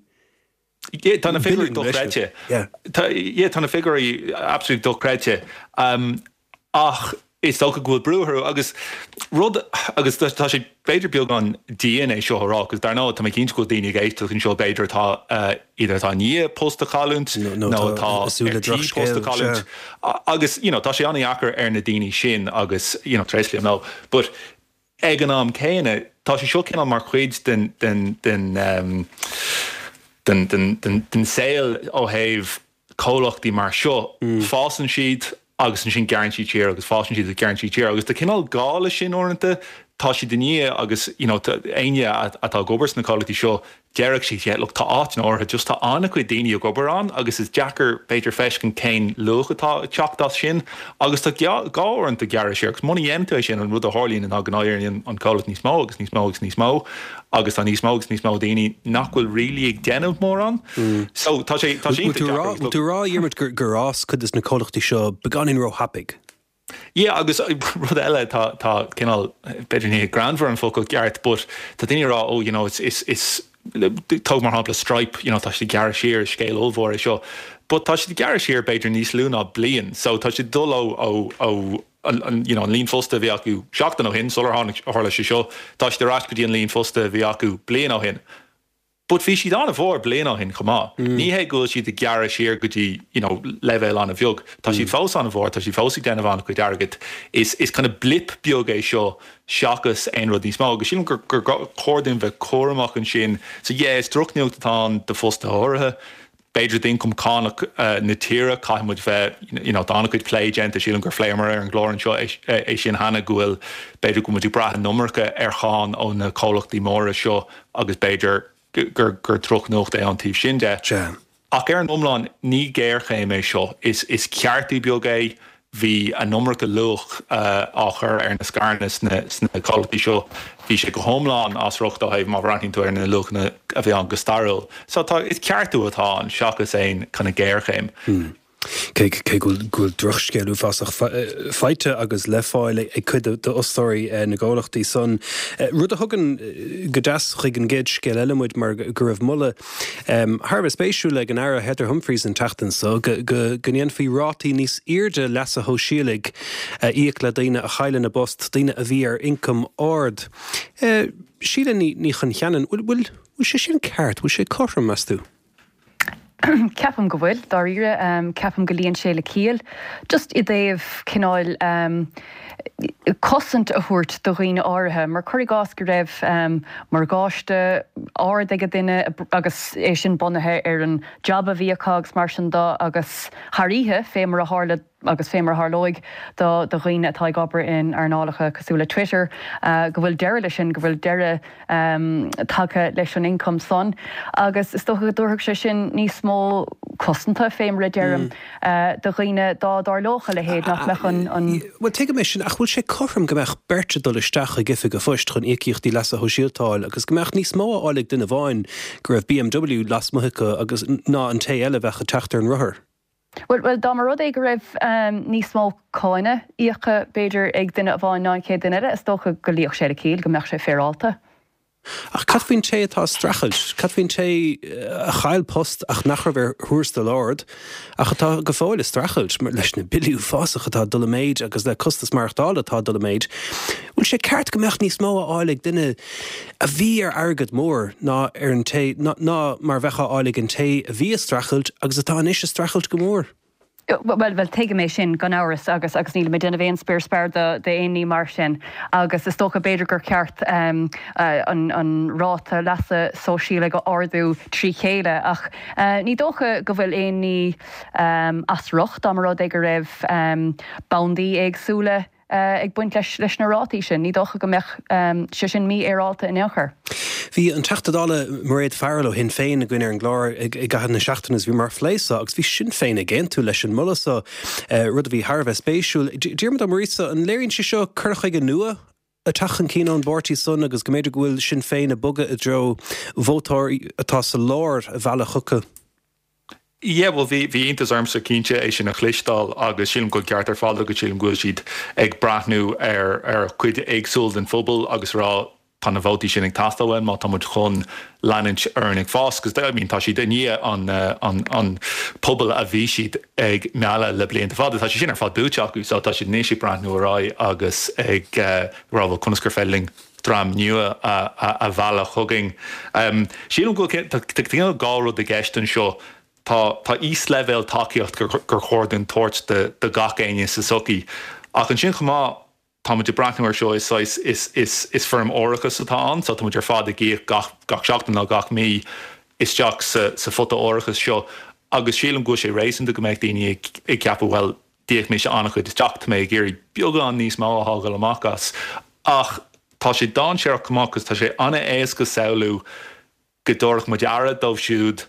S5: Yeah, tá na figiúirí dochreidte.
S1: Yeah.
S5: Tá, yeah, tá na figiúirí absolutely dochreidte. Um, ach is dócha go bhfuil brú orthu agus rud, agus tá sé b'fhéidir beagán dian é seo a rá, agus dar ndóigh tá mé cinnte go bhfuil daoine ag éisteacht anseo b'fhéidir atá either atá i ndiaidh post a chailliúint nó atá ar tí post a chailliúint agus you know tá sé an-dheacair ar na daoine sin agus you know tréaslaím leo but ag an am céanna tá sé seo cineál mar chuid den den den um, den den den den saol ó thaobh comhlachtaí mar seo, fásann siad agus ansin gearrann siad siar agus fásann siad agus gearrann siad siar agus tá cineál gá leis sin uaireanta, tá siad i ndiaidh agus you know éinne atá ag obair sna comhlachtaí seo déarfadh siad yeah look tá áiteanna áirithe just tá an-chuid daoine ag obair ann agus is deacair b'fhéidir feiscint cén luach atá ag teacht as sin agus tá gá uaireanta gearradh siar agus muna dhéanann tú é sin an rud a tharlaíonn ná go n-éiríonn an comhlacht níos mó agus níos mó agus níos mó agus tá níos mó agus níos mó daoine nach bhfuil really ag déanamh mórán. So tá sé tá sé
S1: iontach deacair. Bhfuil tú ag rá, a Dhiarmuid, gur gur fhás cuid de na comhlachtaí seo beagáinín róthapaidh?
S5: Yeah, agus rud eile tá tá cineál b'fhéidir ní greannmhar an focal ceart but tá daoine ag rá oh you know it's is is tóg mar shampla Stripe you know tá siad ag gearradh siar is scéal ollmhór é seo but tá siad ag gearradh siar b'fhéidir níos lú ná bliain so tá siad ag dul ó ó ó an you know an líon fostaithe a bhí acu seachtain ó shin sular tháinig tharla sé seo, tá siad ar ais go dtí an líon fostaithe a bhí acu bliain ó shin. But bhí siad an-mhór bliain ó shin chomh maith. Ní hé go bhfuil siad ag gearradh siar go dtí you know leibhéal an-bheag. Tá siad fós an-mhór, tá siad fós ag déanamh an-chuid airgid. Is is kind of blip beag é seo seachas aon rud níos mó. Agus sílim gur gur chóir dúinn bheith cúramach ansin. So yeah, is drochnuacht atá ann do fostaithe áirithe. B'fhéidir d'ioncam cánach na tíre, caithfidh muid bheith, you know, tá an-chuid plé déanta, sílim gur phléamar ar an gclár anseo é sin cheana, go bhfuil, b'fhéidir go bhfuil muid ag brath an iomarca ar cháin ó na comhlachtaí móra seo agus b'fhéidir gur gur drochnuacht é ón taobh sin de. Ach ar an iomlán, ní géarchéim é seo, is is ceartú beag é. Bhí an iomarca luach á chur ar na scaireanna sna comhlachtaí seo. Bhí sé go hiomlán as riocht ó thaobh má bhreathnaíonn tú ar na luachanna a bhí ann go stairiúil. So tá, is ceartú atá ann seachas aon kind of géarchéim.
S1: Cé go bhfuil drochscéal uafásach faighte agus le fáil ag cuid d'fhostóirí na gcomhlachtaí san, rud a thugann go deas chuig an gcéad scéal eile muid mar go raibh moladh thar a bheith spéisiúil ag an Aire Heather Humphreys an tseachtain seo go ndéanfaí rátaí níos airde leasa shóisialaigh a íoc le daoine a chailleann a bpost, daoine a bhí ar ioncam ard. Síle Ní Choncheanainn, bhfuil sé sin ceart, bhfuil sé cothrom, meas tú?
S4: Ceapaim go bhfuil, dáiríre. Ceapaim go luíonn sé le ciall. Just i dtaobh cineál cosaint a thabhairt do dhaoine áirithe, mar cuir i gcás go raibh morgáiste ard ag duine agus é sin bunaithe ar an jab a bhí acu agus mar sin de agus thar oíche, fé mar a tharla agus fé mar a tharlóidh do dhaoine atá ag obair in earnálacha cosúil le Twitter, go bhfuil deireadh leis sin, go bhfuil deireadh tagtha leis an ioncam san agus is dócha go dtabharfadh sé sin níos mó cosanta, fé mar a deirim, do dhaoine dá dtarlódh a leithéid, nach mbeadh an.
S1: Bhuel, tuigim é sin, ach bhfuil sé cothrom go mbeadh beirt ag dul isteach chuig oifig an phoist chun íocaíochtaí leasa shóisialta a fháil agus go mbeadh níos mó á fháil ag duine amháin go raibh BMW lasmuigh acu agus ná an té eile a bheadh ag teacht ar an rothar?
S4: Bhuel, bhuel, dá mba rud é go raibh níos mó cáine íoctha, b'fhéidir, ag duine amháin ná an chéad duine eile, is dócha go luífeadh sé le ciall, go mbeadh sé féaráilte.
S1: Ach cad faoin té atá ag streachailt? Cad faoin té a chaill post ach nach raibh ar thuarastal ard ach atá go fóill ag streachailt leis na billí uafásacha atá ag dul i méid agus le costas maireachtála atá ag dul i méid? Bhfuil sé ceart go mbeadh níos mó á fháil ag duine a bhí ar airgead mór ná ar an té ná mar a bheadh á fháil ag an té a bhí ag streachailt agus atá anois ag streachailt go mór?
S4: Bhuel, bhuel, tuigim é sin gan amhras agus agus nílim ag déanamh aon spior spear d'aon ní mar sin agus is dócha b'fhéidir gur ceart um, uh, an, an ráta leasa sóisialaigh a ardú trí chéile ach uh, ní dócha go bhfuil aon ní um, as riocht dá mba rud é go raibh um, bandaí éagsúla ag baint leis leis na rátaí sin, ní dócha go mbeadh sé sin mífhéaráilte in aon chor.
S1: Bhí an Teachta Dála Mairéad Farrell ó Shinn Féin againn ar an gclár i gcaitheamh na seachtaine is bhíomar ag plé seo agus bhí Sinn Féin ag aontú leis an moladh seo, rud a bhí thar a bheith spéisiúil. Diarmuid Ó Muiríosa, an léiríonn sé seo cur chuige nua ag teacht chun cinn ón bpáirtí san agus go mb'fhéidir go bhfuil Sinn Féin ag bogadh i dtreo vótóirí atá sa lár a mhealladh chucu?
S5: Yeah, well bhí bhí iontas ormsa cinnte é sin a chloisteáil agus sílim go ceart ar fad agus sílim go bhfuil siad ag breathnú ar ar chuid éagsúil den phobal agus rá tá na vótaí sin ag teastáil uainn má tá muid chun leanúint orainn ag fás, 'cause I mean tá siad i ndiaidh an an an pobal a bhí siad ag mealladh le blianta fada, tá sé sin ar fad buaite acu so tá siad anois ag breathnú ar aghaidh agus ag uh, rá bhuel conas gur féidir linn dream nua a, a, a mhealladh chugainn. Um, sílim go bhfuil tá dhá rud i gceist anseo Tá tá íosleibhéal tacaíocht gur gur chóir dúinn tabhairt do do gach éinne sa tsochaí. Ach ansin chomh maith tá muid ag breathnú air seo is saghas is is is foirm árachas atá ann, so tá muid ar fad ag íoc gach gach seachtain nó gach mí isteach sa sa phota árachas seo agus sílim go bhfuil sé réasúnta go mbeadh daoine ag ag ceapadh bhuel d'íoc mise an-chuid isteach tá mé ag iarraidh beagán níos mó a fhágáil amach as. Ach tá sé dainséarach chomh maith cos tá sé an-éasca samhlú go dtabharfadh muid aire dóibh siúd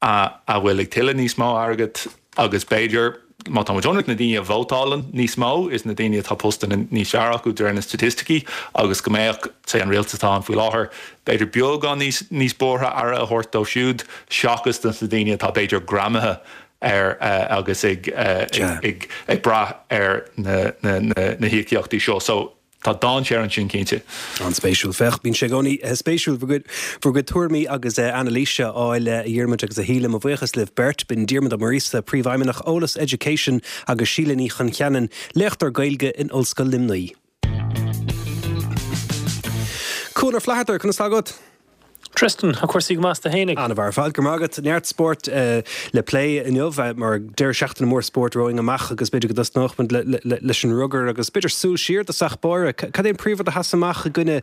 S5: a a bhfuil ag tuilleamh níos mó airgid agus b'fhéidir má tá muid ionraic na daoine a vótálann níos mó is na daoine atá postanna níos fearr acu de réir na staitisticí agus go mbeadh say an rialtas atá ann faoi láthair b'fhéidir beagán níos níos buartha aire a thabhairt dóibh siúd seachas do na daoine atá b'fhéidir greamaithe ar agus ag ag ag brath ar na na na híocaíochtaí seo. So Tá dainséar ansin cinnte.
S1: An-spéisiúil. Féach, bíonn sé i gcónaí spéisiúil bhur gcuid tuairimí agus anailíse a fháil a Dhiarmuid agus a Shíle. Mo bhuíochas libh beirt. B'in Diarmuid Ó Muiríosa, Príomhfheidhmeannach Eolas Education agus Síle Ní Choncheanainn, léachtóir Gaeilge in Ollscoil Luimnigh. Cuan Ó Flatharta, conas tá agat?
S6: Tristan, tá cúrsaí go maith, tú fhéinig?
S1: An-mhaith ar fad, go raibh maith agat. Neart spóirt le plé inniu mar deireadh seachtaine mór spóirt romhainn amach agus b'fhéidir go dtosnódh muid leis an rugar agus b'fhéidir súil siar i dtosach báire. Cad é an príomhrud a sheas amach i gcoinne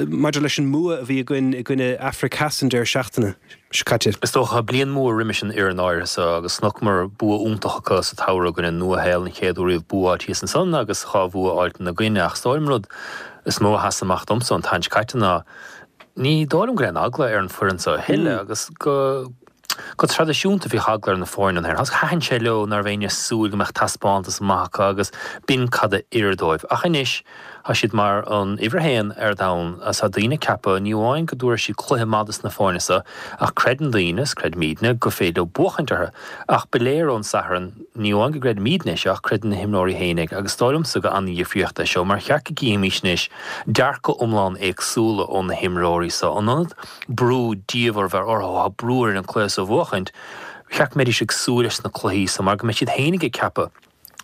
S1: maidir leis an mbua a bhí againn i gcoinne Afraic Theas an deireadh seachtaine seo caite?
S6: Is dócha, bliain mhór roimis an fhoireann áirithe seo agus chonaiceamar bua iontach acu sa tsamhradh i gcoinne Nua-Shéalainn an chéad uair riamh bua thíos ansan agus dhá bhua fháilte ina gcoinne ach is dóigh liom an rud is mó a sheas amach domsa an tseachtain seo caite ná Ní dóigh liom go raibh aon eagla ar an foireann seo a thuilleadh agus go go traidisiúnta bhíodh eagla ar na foirne an agus thaitin sé leo ná raibh éinne ag súil go mbeadh taispeántas maith acu agus b'in cad a oir dóibh. Ach anois tá siad mar an uimhir a haon ar domhan agus tá daoine ag ceapadh ní amháin go dtabharfaidh siad cluiche maith dos na foirne seo ach creideann daoine, is creidimidne, gur féidir leo buachaint orthu. Ach ba léir ón Satharn ní amháin go gcreidimidne é seo ach creideann na himreoirí fhéinig agus is dóigh liomsa gur an-dhifríocht é seo mar cheart go gcífimís anois dearcadh iomlán éagsúla ó na himreoirí seo. In ionad brú diamhair a bheith orthu, tá brú orainn an cluiche seo a bhuachaint, cheart go mbeidís ag súil leis na cluichí seo mar go mbeidh siad fhéinig ag ceapadh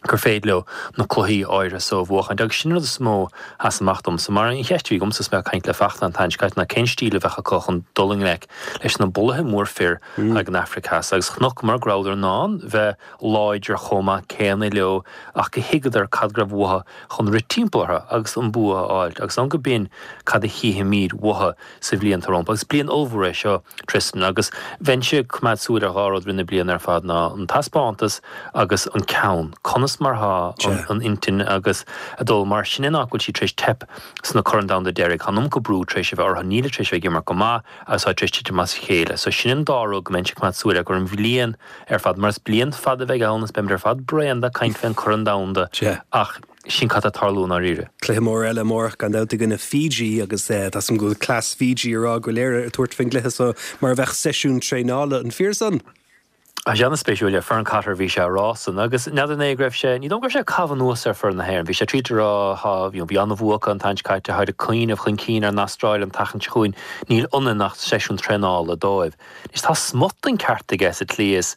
S6: gur féidir leo na cluichí áirithe seo a bhuachaint agus sin an rud is mó a sheas amach domsa. Mar an cheist a bhí agamsa is mé ag caint le Fachtna an tseachtain seo caite ná cén stíl a bheadh acu chun dul i ngleic leis na bulaithe mór fir ag an Afraic Theas agus chonaiceamar go rabhadar in ann bheith láidir chomh maith céanna leo ach go thuigeadar cad go raibh uathu chun rith timpeall orthu agus an bua a fháilt agus an go b'in cad a chífimid uathu sa bhliain atá rompu agus bliain ollmhór é seo Tristan agus bheinnse ag coimeád súil ar dhá rud roimh na bliana ar fad ná an taispeántas agus an ceann. Conas mar thá an intinn agus a dul mar sin nach bhfuil siad tar éis teip sna Corn Domhanda deiridh. Tá an iomarca brú tar éis a bheith orthu, nílid tar éis a bheith ag imirt go maith agus tá tar éis titim as a chéile. So sin an dá rud go mbeinnse ag coimeád súil air gur an bhliain ar fad mar is bliain fada a bheidh ann is beimid ar fad bréan de caint fén Corn Domhanda ach sin cad atá ag tarlú i ndáiríre.
S1: Cluiche mór eile amárach gan dabht i gcoinne Fiji agus tá a fhios agam go bhfuil cleas Fiji ag rá go bhfuil Éire ag tabhairt faoin gcluiche seo mar a bheadh seisiún traenála. An fíor san?
S6: Tá sé an-spéisiúil le Fern Cotter bhí sé a rá san agus n'fheadar an é go raibh sé, ní dóigh go raibh sé ag caitheamh anuas ar foireann na hÉireann, bhí sé tríd a rá thá, you know, bhí an-bhua acu an tseachtain seo caite, tháid ag cuimhneamh chun cinn ar an Astráil an tseachtain seo chugainn, níl ionainn ach seisiún traenála dóibh. Anois tá smut den ceart aige sa tslí is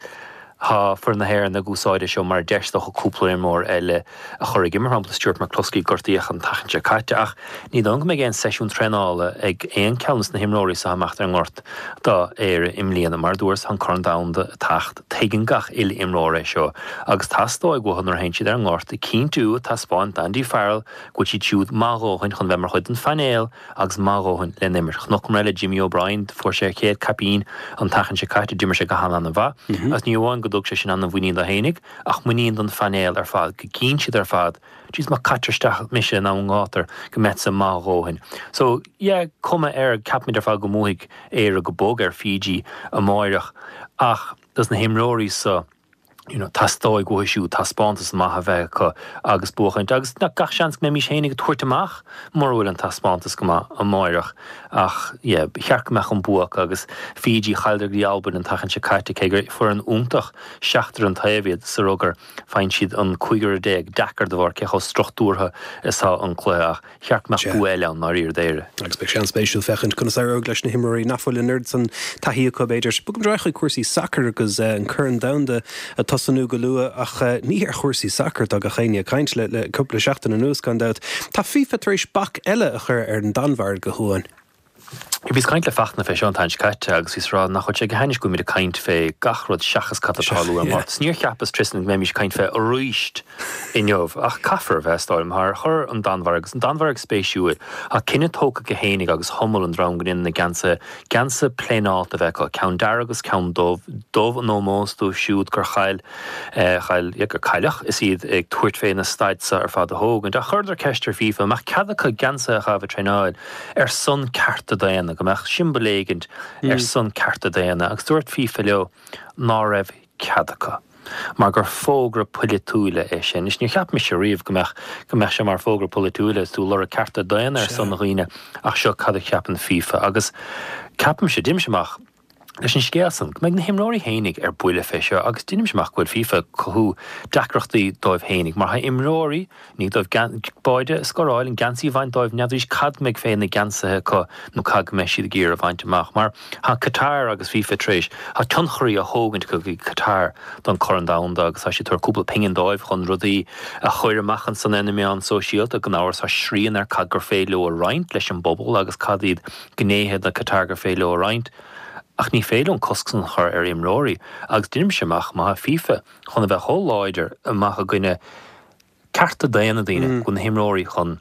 S6: thá foireann na hÉireann ag úsáid é seo mar deis dócha cúpla imreoir eile a chur ag imirt, mar shampla Stuart McCloskey gortaíodh an tseachtain seo caite ach ní dóigh go mbeidh aon seisiún traenála ag aon ceann des na himreoirí seo amach ar an ngort do Éire i mbliana. Mar a dúras, tá an Corn Domhanda ag teacht, tuigeann gach uile imreoir é seo agus teastóidh uathu nuair a théann siad ar an ngort cinntiú, taispeáint d'Andy Farrell go bhfuil siad siúd maith a dhóthain chun bheith mar chuid den phainéal agus maith a dhóthain le n-imirt. Chonaiceamar é le Jimmy O'Brien, fuair sé a chéad caipín an tseachtain seo caite, d'imir sé go han-an-mhaith agus ní amháin go dtug sé sin an-mhuinín dó fhéinig ach muinín don phainéal ar fad, go gcíonn siad ar fad, jeez má caitear isteach mise in am gátar go mbeadsa maith a dhóthain. So, yeah, cuma air, ceapaimid ar fad go mbuafaidh Éire go bog ar Fiji amáireach ach dos na himreoirí so, you know, teastóidh uathu siúd taispeántas maith a bheith acu agus buachaint agus gach seans go mbeimis fhéinig ag tabhairt amach mura bhfuil an taispeántas go maith amáireach ach yeah, ba cheart go mbeadh an bua acu agus Fiji, chailleadar go dtí Albain an tseachtain seo caite cé gur foireann iontach seachtar an taobh iad sa rugar faigheann siad an cúigear déag deacair de bharr cé chomh struchtúrtha is atá an cluiche ach cheart go mbeadh bua eile ann ndáiríre d'Éire.
S1: Agus beidh sé an-spéisiúil féachaint conas éireoidh leis na himreoirí nach bhfuil an oiread san taithí acu, b'fhéidir. Bogfaimid ar aghaidh chuig cúrsaí sacair agus an Corn Domhanda ag tosnú go luath ach ní ar chúrsaí sacair atá gach éinne ag caint le le cúpla seachtain anuas, gan dabht. Tá FIFA tar éis bac eile a chur ar an Danmhairg, a Chuáin.
S6: Bhíos ag caint le Fachtna fé seo an tseachtain seo caite agus bhíos ag rá nach bhfuil sé go hainnis go bhfuilimid ag caint fé gach rud seachas cad atá ag tarlú ar an ngort. Níor cheapas, Tristan, go mbeimis ag caint fé aríst inniu ach caithfear a bheith, is dóigh liom, mar chuir an Danmhairg, agus an Danmhairg spéisiúil, tá cinneadh tógtha acu fhéinig agus Hummel an dream go ndéanann na geansaithe, geansaithe pléineálta a bheith acu, ceann dearg agus ceann dubh, dubh in ómós dóibh siúd gur chaill, chaill, yeah, gur cailleadh is iad ag tabhairt fé na staid seo ar fad a thógaint. Ach chuireadar ceist ar FIFA an mbeadh cead acu geansaithe a chaitheamh ag traenáil ar son cearta daonna, go mbeadh siombail éigint ar son cearta daonna agus dúirt FIFA leo ná raibh cead acu mar gur fógra polaitiúil é sin. Anois níor cheap mise riamh go mbeadh go mbeadh sé mar fógra polaitiúil is tú ag lorg cearta daonna ar son dhaoine ach seo cad a cheapann FIFA agus ceapaimse, deinimse amach leis an scéal san, go mbeidh na himreoirí fhéinig ar buile fé seo agus deinimse amach go bhfuil FIFA ag cothú deacrachtaí dóibh fhéinig mar tá imreoirí, i ndiaidh dóibh báide a scóráil, an geansaí a bhaint dóibh, n'fheadraís cad mbeidh fé na geansaithe acu nó cad go mbeidh siad ag iarraidh a bhaint amach mar tá Qatar agus FIFA tar éis, tá tionchairí á thógaint acu go Qatar don Chorn Domhanda agus tá siad ag tabhairt cúpla pingin dóibh chun rudaí a chur amach ansan ar na meáin sóisialta, gan amhras tá srian ar cad gur féidir leo a roinnt leis an bpobal agus cad iad gnéithe de Qatar gur féidir leo a roinnt. Ach ní féidir leo an cosc san a chur ar imreoirí agus deinimse amach má tá FIFA chun a bheith chomh láidir amach i gcoinne cearta daonna daoine go bhfuil na himreoirí chun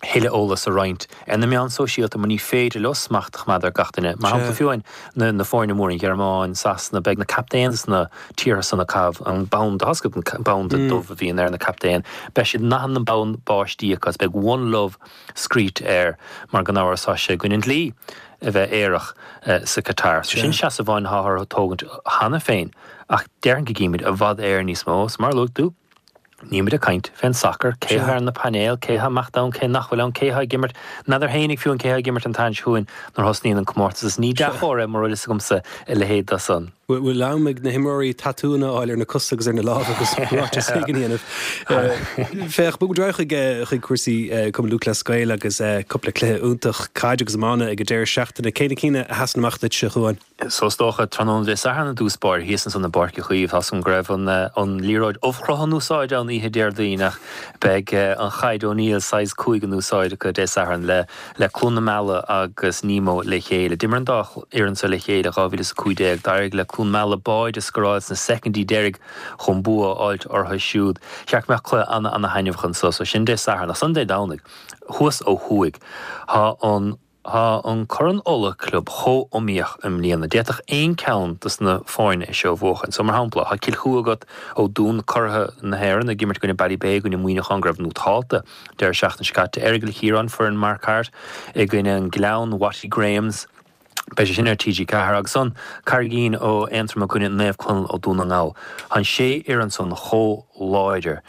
S6: thuilleadh eolas a roinnt ar na meáin sóisialta mar ní féidir leo smacht a choimeád ar gach duine. Mar shampla fiú amháin na na foirne móra, an Ghearmáin, Sasana, beidh na captaein sna tíortha san ag caitheamh an banda, tá a fhios agat an banda dubh a bhíonn ar na captaein, beidh siad i ndath na bonn báistí acu agus beidh One Love scríte air mar gan amhras tá sé i gcoinne an dlí. a bheith aerach sa Qatar. So sin seasamh amháin atá orthu tógaint cheana féin ach déarfainn go gcífimid i bhfad Éireann níos mó. So mar a luaigh tú, nílimid ag caint fén sacar, cé atá ar na painéil, cé atá amach ann, cé nach bhfuil ann, cé atá ag imirt, n'fheadar fhéinig fiú an cé atá ag imirt an tseachtain seo chugainn nuair a thosnaíonn an comórtas. Is ní dea-chomhartha é mura bhfuil fhios agamsa a leithéid de san.
S1: Bhfuil am ag na himreoirí tatúanna a fháil ar na cosa agus ar na lámha agus ráiteas éigin a dhéanamh? Féach, bogfaimid ar aghaidh chuig chuig cúrsaí Cumann Lúthchleas Gael agus cúpla cluiche iontach caide agus iomána ag an deireadh seachtaine. Cé na cinn a sheasann amach duit, a Chuáin?
S6: So is dócha, tráthnóna Dé Sathairn i dtús báire, thíos ansan i bPáirc Uí Chaoimh, tá 's agam go raibh an an liathróid ubhchruth in úsáid ann oíche Déardaoin ach beidh an chaid O'Neill size cúig in úsáid acu Dé Sathairn le le Cluain na Meala agus Nemo le chéile. D'imir an dá fhoireann seo le chéile dhá mhíle is a cúig déag. D'éirigh le Cluain Meala báide a scóráil sna soicindí deiridh chun bua a fháilt orthu siúd. Cheart go mbeadh cluiche ana-ana-thaitneamhach anso. So sin Dé Sathairn. Ach ansan Dé Domhnaigh, thuas ó thuaidh, tá an Tá an Corn Uladh Club chomh iomaíoch i mbliana. D'fhéadfadh aon ceann dos na foirne é seo a bhuachan. So mar shampla, tá Cill Chua agat ó Dún, curaithe na hÉireann, ag imirt i gcoinne Ballybay, i gcoinne Muineachán go raibh nótálta deireadh seachtaine seo caite. Errigal Chiaráin, foireann Mark Harte, i gcoinne an Gleann, Watty Grahams. Beidh sé sin ar T G ceathair. Agus ansan Carraigín ó Aontroim i gcoinne Naomh Conaill ó Dún na nGall. Tá an sé fhoireann san chomh láidir.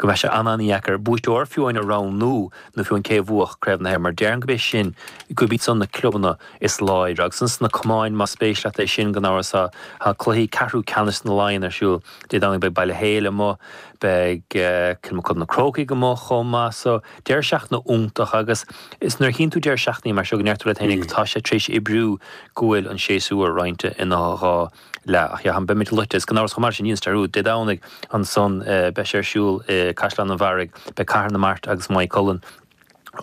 S6: go mbeidh sé an-an-dheacair buaiteoir fiú amháin a roghnú nó fiú amháin cé a bhuafadh Craobh na hÉireann mar déarfainn gurb é sin gurb iad san na clubanna is láidre agus ins na camáin más spéis leat é sin gan amhras tá tá cluichí ceathrú ceannais na Laighean ar siúl Dé Domhnaigh beidh Baile Héil amuigh beidh Kilmacud na Crócaigh amuigh chomh maith so deireadh seachtaine iontach agus is nuair a chíonn tú deireadh seachtainí mar seo go ndeir tú leat féinig tá sé tar éis oibriú go bhfuil an séasúr roinnte ina dhá leath. Ach yeah, beimid loite is gan amhras chomh maith sin ní dearúd Dé Domhnaigh ansan beidh sé ar siúl i Caisleán an Bharraigh, beidh Cathair na Mart agus Maigh Cuilinn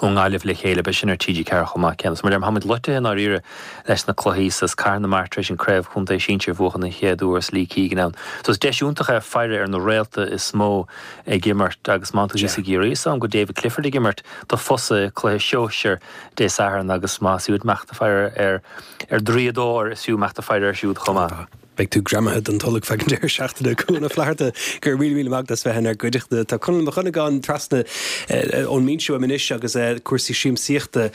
S6: ón nGaillimh le chéile, beidh sin ar T G ceathair chomh maith céanna. So mar a deirim, táimid loite i ndáiríre leis na cluichí so is Cathair na Mart tar éis an craobh chontae sinsir a bhuachan an chéad uair is Lee Keegan ann. So is deis iontach é faire ar na réalta is mó ag imirt agus má tá tú thíos i gCiarraí is am go David Clifford ag imirt do Fosa cluiche sóisir Dé Sathairn agus más fiú imeacht ag faire ar ar Draíodóir is fiú imeacht ag faire air siúd chomh maith.
S1: Beidh tú greamaithe don tolg feadh an deireadh seachtaine. Cuan Ó Flatharta, go raibh míle míle maith agat as bheith inár gcuideachta. Tá Conall Mac Dhonnagáin trasna ón mbinse uaim anois agus cúrsaí siamsaíochta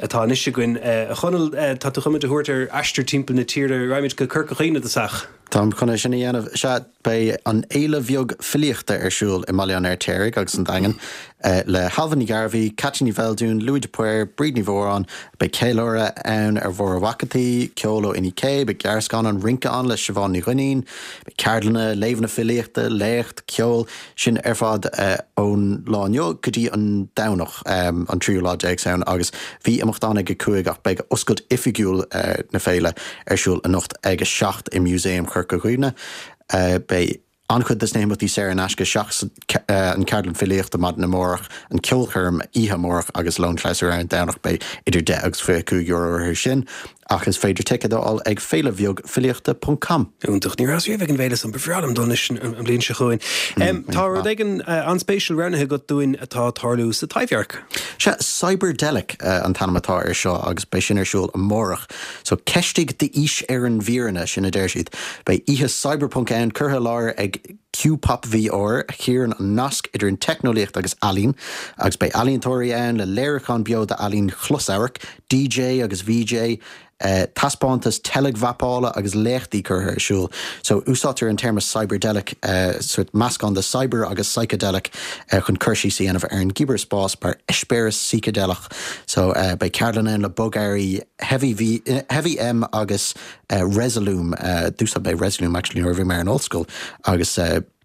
S1: atá anois againn. A Chonaill, tá tú chun muid a thabhairt ar aistear timpeall na tíre. Raghaimid go Corca Dhuibhne i dtosach.
S7: Táim chun é sin a dhéanamh. Sea, beidh an Fhéile Bheag Filíochta ar siúl i mBaile an Fheirtéaraigh agus an Daingean le hAilbhe Ní Ghairbhí, Ceaití Ní Bheildiúin, Louis de Paor, Bríd Ní Mhóráin. Beidh ceiliúradh ann ar Mháire Mhac an tSaoi, ceol ó Inni K, beidh gearrscannán rince ann le Siobhán Ní Dhuinnín, beidh ceardlanna, léamhanna filíochta, léacht, ceol, sin ar fad ón lá inniu go dtí an Domhnach, an tríú lá déag Samhain agus bhí imeacht ann ag a cúig ach beidh oscailt oifigiúil na féile ar siúl anocht ag a seacht i Músaem Chorca Dhuibhne. Beidh an-chuid de na himeachtaí saor in aisce seachas an ceardlann filíochta maidin amárach, an ceolchoirm oíche amárach agus lón clabhsúir ar an Domhnach. Beidh idir deich agus fiche cúig euro orthu sin ach is féidir ticéad a fháil ag féile bheag filíochta ponc com.
S1: Iontach. Ní rabhas riamh ag an bhféile san. Ba bhreá liom dul anois an bhliain seo chugainn. Tá rud éigin an-spéisiúil roghnaithe agat dúinn atá ag tarlú sa Taibhdhearc.
S7: Sea, Cyberdelic an t-ainm atá air seo agus beidh sin ar siúl amárach. So, ceistigh d'aois ar an bhfírinne, sin a deir siad. Beidh oíche cyberpunk ann, curtha i láthair ag Q-Pop V R, a chíorann an nasc idir an teicneolaíocht agus ealaín, agus beidh ealaíontóirí ann le léiriúchán beo d'ealaín chlosamhairc, D J agus V J, taispeántas teilgmhapála agus léachtaí curtha ar siúl. So, úsáidtear an téarma cyberdelic, sórt meascán de cyber agus psychedelic, chun cur síos a dhéanamh ar an gcibearspás mar eispéireas sícideileach. So, beidh ceardlann ann le bogearraí Heavy V, Heavy M agus Resolume. D'úsáid mé Resolume actually nuair a bhí mé ar an ollscoil agus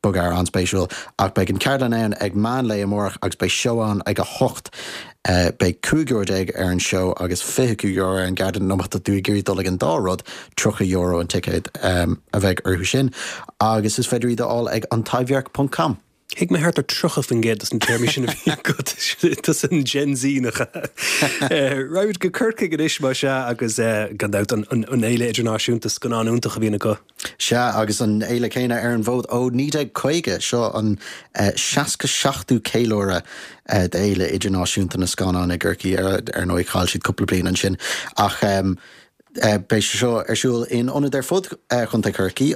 S7: bogearra an-spéisiúil. Ach beidh an ceardlann ann ag meán lae amárach agus beidh seó ann ag a hocht. Beidh cúig euro déag ar an seó agus fiche cúig euro ar an gceardlann nó má tá tú ag iarraidh dul ag an dá rud, tríocha euro an ticéad a bheidh orthu sin agus is féidir iad a fháil ag antaibhdhearc ponc com.
S1: Thuig mé thart ar tríocha faoin gcéad dos na téarmaí sin a bhí agat. Tusa an Gen Z nach ea? Raghaimid go Corcaigh anois más ea agus gan dabht an fhéile idirnáisiúnta scannán iontach a bhíonn acu.
S7: Sea, agus an fhéile céanna ar an bhfód ó naoi déag caoga, seo an seasca seachtú ceiliúradh d'Fhéile Idirnáisiúnta na Scannán i gCorcaigh. Ar ndóigh, chaill siad cúpla bliain ansin ach beidh sé seo ar siúl in ionaid ar fud Chontae Chorcaí.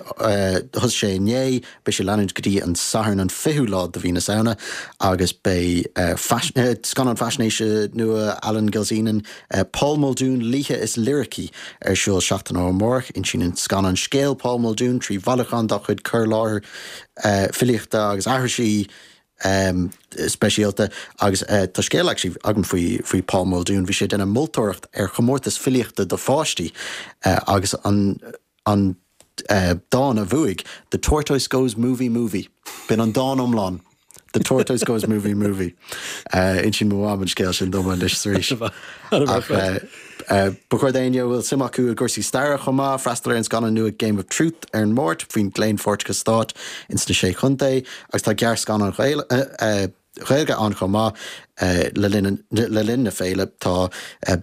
S7: Thosaigh sé inné, beidh sé ag leanúint go dtí an Satharn an fichiú lá de mhí na Samhna agus beidh scannán faisnéise nua Alan Gilzean, Paul Muldoon, Laoithe is Liricí ar siúl seachtain ó amárach. Insíonn an scannán scéal Paul Muldoon trí bhailiúchán dá chuid cur i láthair filíochta agus aithrisí speisialta. Agus tá scéal actually agam faoi faoi Paul Muldoon. Bhí sé ag déanamh moltóireacht ar chomórtas filíochta do pháistí agus an an dán a bhuaigh, 'The Tortoise Goes Movie Movie'. B'in an dán iomlán. The Tortoise Goes Movie Movie. Insíonn mo mham an scéal sin dom anois is arís. Ach ba chóir d'éinne a bhfuil suim acu i gcúrsaí staire chomh maith freastal ar an scannán nua Game of Truth ar an Máirt faoin gclaonpháirteachas stáit ins na Sé Chontae agus tá gearrscannán Ghaeilge ann chomh maith le linn le linn na féile. Tá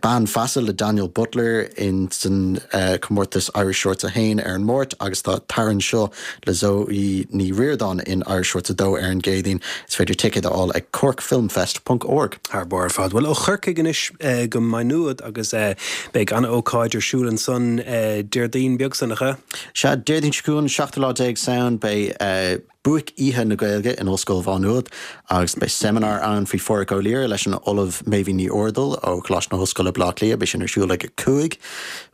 S7: Bean Feasa le Daniel Butler in san comórtas Irish Shorts a haon ar an Máirt agus tá Tar Anseo le Zoe Ní Ríordáin in Irish Shorts a dó ar an gCéadaoin. Is féidir ticéid a fháil ag corkfilmfest ponc org.
S1: Thar barr ar fad. Bhuel ó Chorcaigh anois go Maigh Nuad agus beidh an-ócáid ar siúl ansan Déardaoin beag san, nach ea?
S7: Sea, Déardaoin seo chugainn, seachtú lá déag Samhain, beidh Buaic Oíche na Gaeilge in Ollscoil Mhá Nuad agus beidh seimineár ann faoi Phádraic Ó Laoghaire leis an Ollamh Méibhín Ní Úrdail ó Choláiste na hOllscoile Baile Átha Cliath. Beidh sin ar siúl ag a cúig.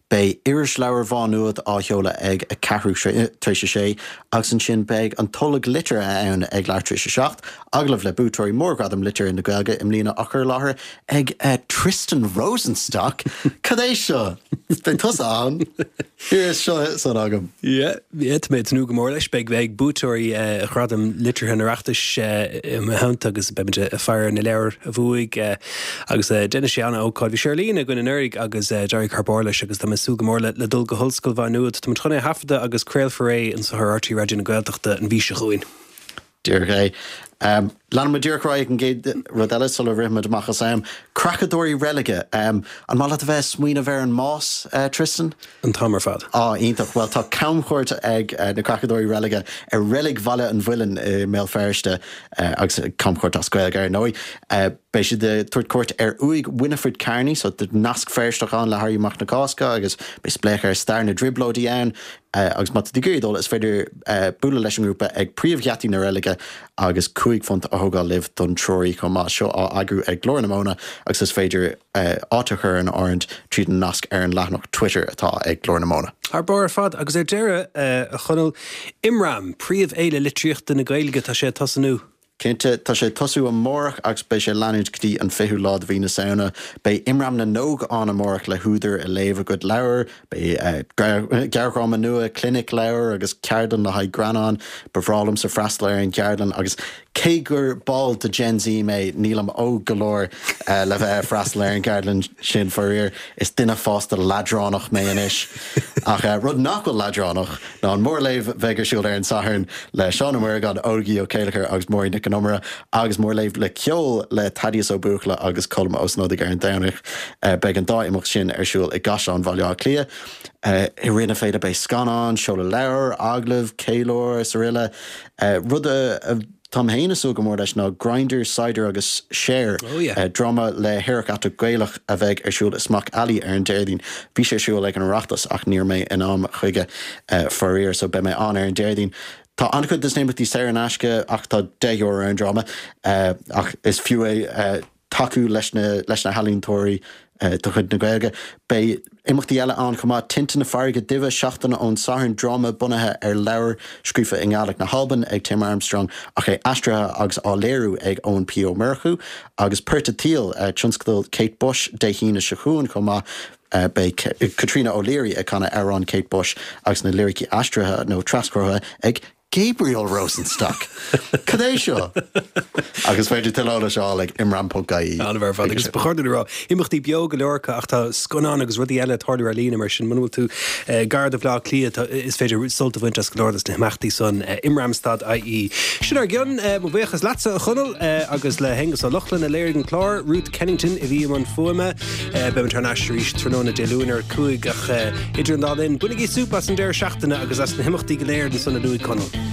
S7: Beidh Irisleabhar Mhá Nuad á sheoladh ag a ceathrú tar éis a sé agus ansin beidh an Tolg Liteartha ann ag leathuair tar éis a seacht, agallamh le buaiteoirí Mhórghradam Liteartha na Gaeilge i mbliana á chur i láthair ag Tristan Rosenstock. Cad é seo? Beidh tusa ann? Here seo san agam.
S1: Yeah, yeah, tá mé ag tnúth go mór leis. Beidh beidh buaiteoirí Ghradam Liteartha an Oireachtais i mo theannta agus beimid ag faire ar na leabhair a bhuaigh agus déanfaidh sé an-ócáid. Bhí sé ar líne againn anuraidh agus d'éirigh thar barr leis agus tá mé ag súil go mór le le dul go hOllscoil Mhá Nuad. Táimid chun é a thaifeadadh agus craolfar é anseo ar R T Raidió na Gaeltachta an mhí seo chugainn.
S7: Díreach é. Leanfaidh muid díreach ar aghaidh an gcéad rud eile sula rithimid amach as am. Creachadóirí reilige. An maith leat a bheith ag smaoineamh ar an mbás, Tristan?
S1: An t-am ar fad.
S7: Á, iontach. Bhuel, tá camchuairt ag na Creachadóirí Reilige ar Reilig Bhaile an Mhuilinn i mBéal Feirste, agus camchuairt as Gaeilge, ar ndóigh. Beidh siad ag tabhairt cuairt ar uaigh Winifred Carney, so tá nasc Feirsteach ann le hÉirí Amach na Cásca agus beidh spléachadh ar stair na dTrioblóidí ann. Agus má tá tú ag iarraidh dul, is féidir bualadh leis an ngrúpa ag príomhgheataí na reilige agus cúig phunt a thógáil libh don treoraí chomh maith. Seo á eagrú ag Glór na Móna agus is féidir áit a chur in áirithe tríd an nasc ar an leathanach Twitter atá ag Glór na Móna.
S1: Thar barr ar fad. Agus ar deireadh, a Chonaill, Imram, príomhfhéile litríochta na Gaeilge, tá sé ag tosnú.
S7: Cinnte, tá sé ag tosú amárach agus beidh sé ag leanúint go dtí an fichiú lá de mhí na Samhna. Beidh Imram na nÓg ann amárach le húdair ag léamh a gcuid leabhar, beidh gearrdhráma nua, clinic leabhar agus ceardlann le haghaidh greannán. Ba bhreá liomsa freastal ar an gceardlann agus cé gur ball de Gen Z mé, nílim óg go leor le bheith ag freastal ar an gceardlann sin, faraor. Is duine fásta leadránach mé anois. Ach rud nach bhfuil leadránach ná an mórléamh a bheidh ar siúl ar an Satharn le Seán Ó Muireagáin, Ógie Ó Céilleachair agus Máirín Nic an Iomaire agus mórléamh le ceol le Thaddeus Ó Buachalla agus Colm Ó Snodaigh ar an Domhnach. Beidh an dá imeacht sin ar siúl i gCaisleán Bhaile Átha Cliath. I rith na féile beidh scannáin, seoladh leabhar, agallaimh, ceiliúradh is araile. Rud a táim féin ag súil go mór leis ná Grindr, Cider agus Cher, dráma le haerach aiteach Gaelach a bheidh ar siúl i Smock Alley ar an Déardaoin. Bhí sé ar siúl ag an Oireachtas ach ní raibh mé in am chuige faraor so beidh mé ann ar an Déardaoin. Tá an-chuid de na himeachtaí saor in aisce ach tá deich euro ar an dráma ach is fiú é tacú leis na leis na healaíontóirí de chuid na Gaeilge. Beidh imeachtaí eile ann chomh maith, Tinte na Farraige Duibhe, seachtain ón Satharn, dráma bunaithe ar leabhar scríofa i nGàidhlig na hAlban ag Tim Armstrong ach é aistrithe agus á léiriú ag Eoin P Ó Murchú, agus Port a' tSaoil, tionscadal Kate Bush, Dé hAoine seo chugainn chomh maith. Beidh Caitríona O'Leary ag canadh amhrán Kate Bush agus na liricí aistrithe nó traschurtha ag Gabriel Rosenstock! Cad é seo? Agus is féidir tuilleadh eolais a fháil ag imram ponc ie.
S1: An-mhaith ar fad. Agus ba chóir dúinn a rá, imeachtaí beo go leor acu ach tá scannáin agus rudaí eile ag tarlú ar líne mar sin muna bhfuil tú gar do Bhaile Átha Cliath is féidir sult a bhaint as go leor des na himeachtaí san imram stad ie. Sin ár gcionn. Mo bhuíochas leatsa a Chonaill agus le hAonghus Ó Lochlainn a léirigh an clár, Ruth Kennington a bhí i mbun fuaime. Beimid thar n-ais arís tráthnóna Dé Luain ar a cúig ach idir an dá linn, bainigí súp as an deireadh seachtaine agus as na himeachtaí go léir ansan a luaigh Conall.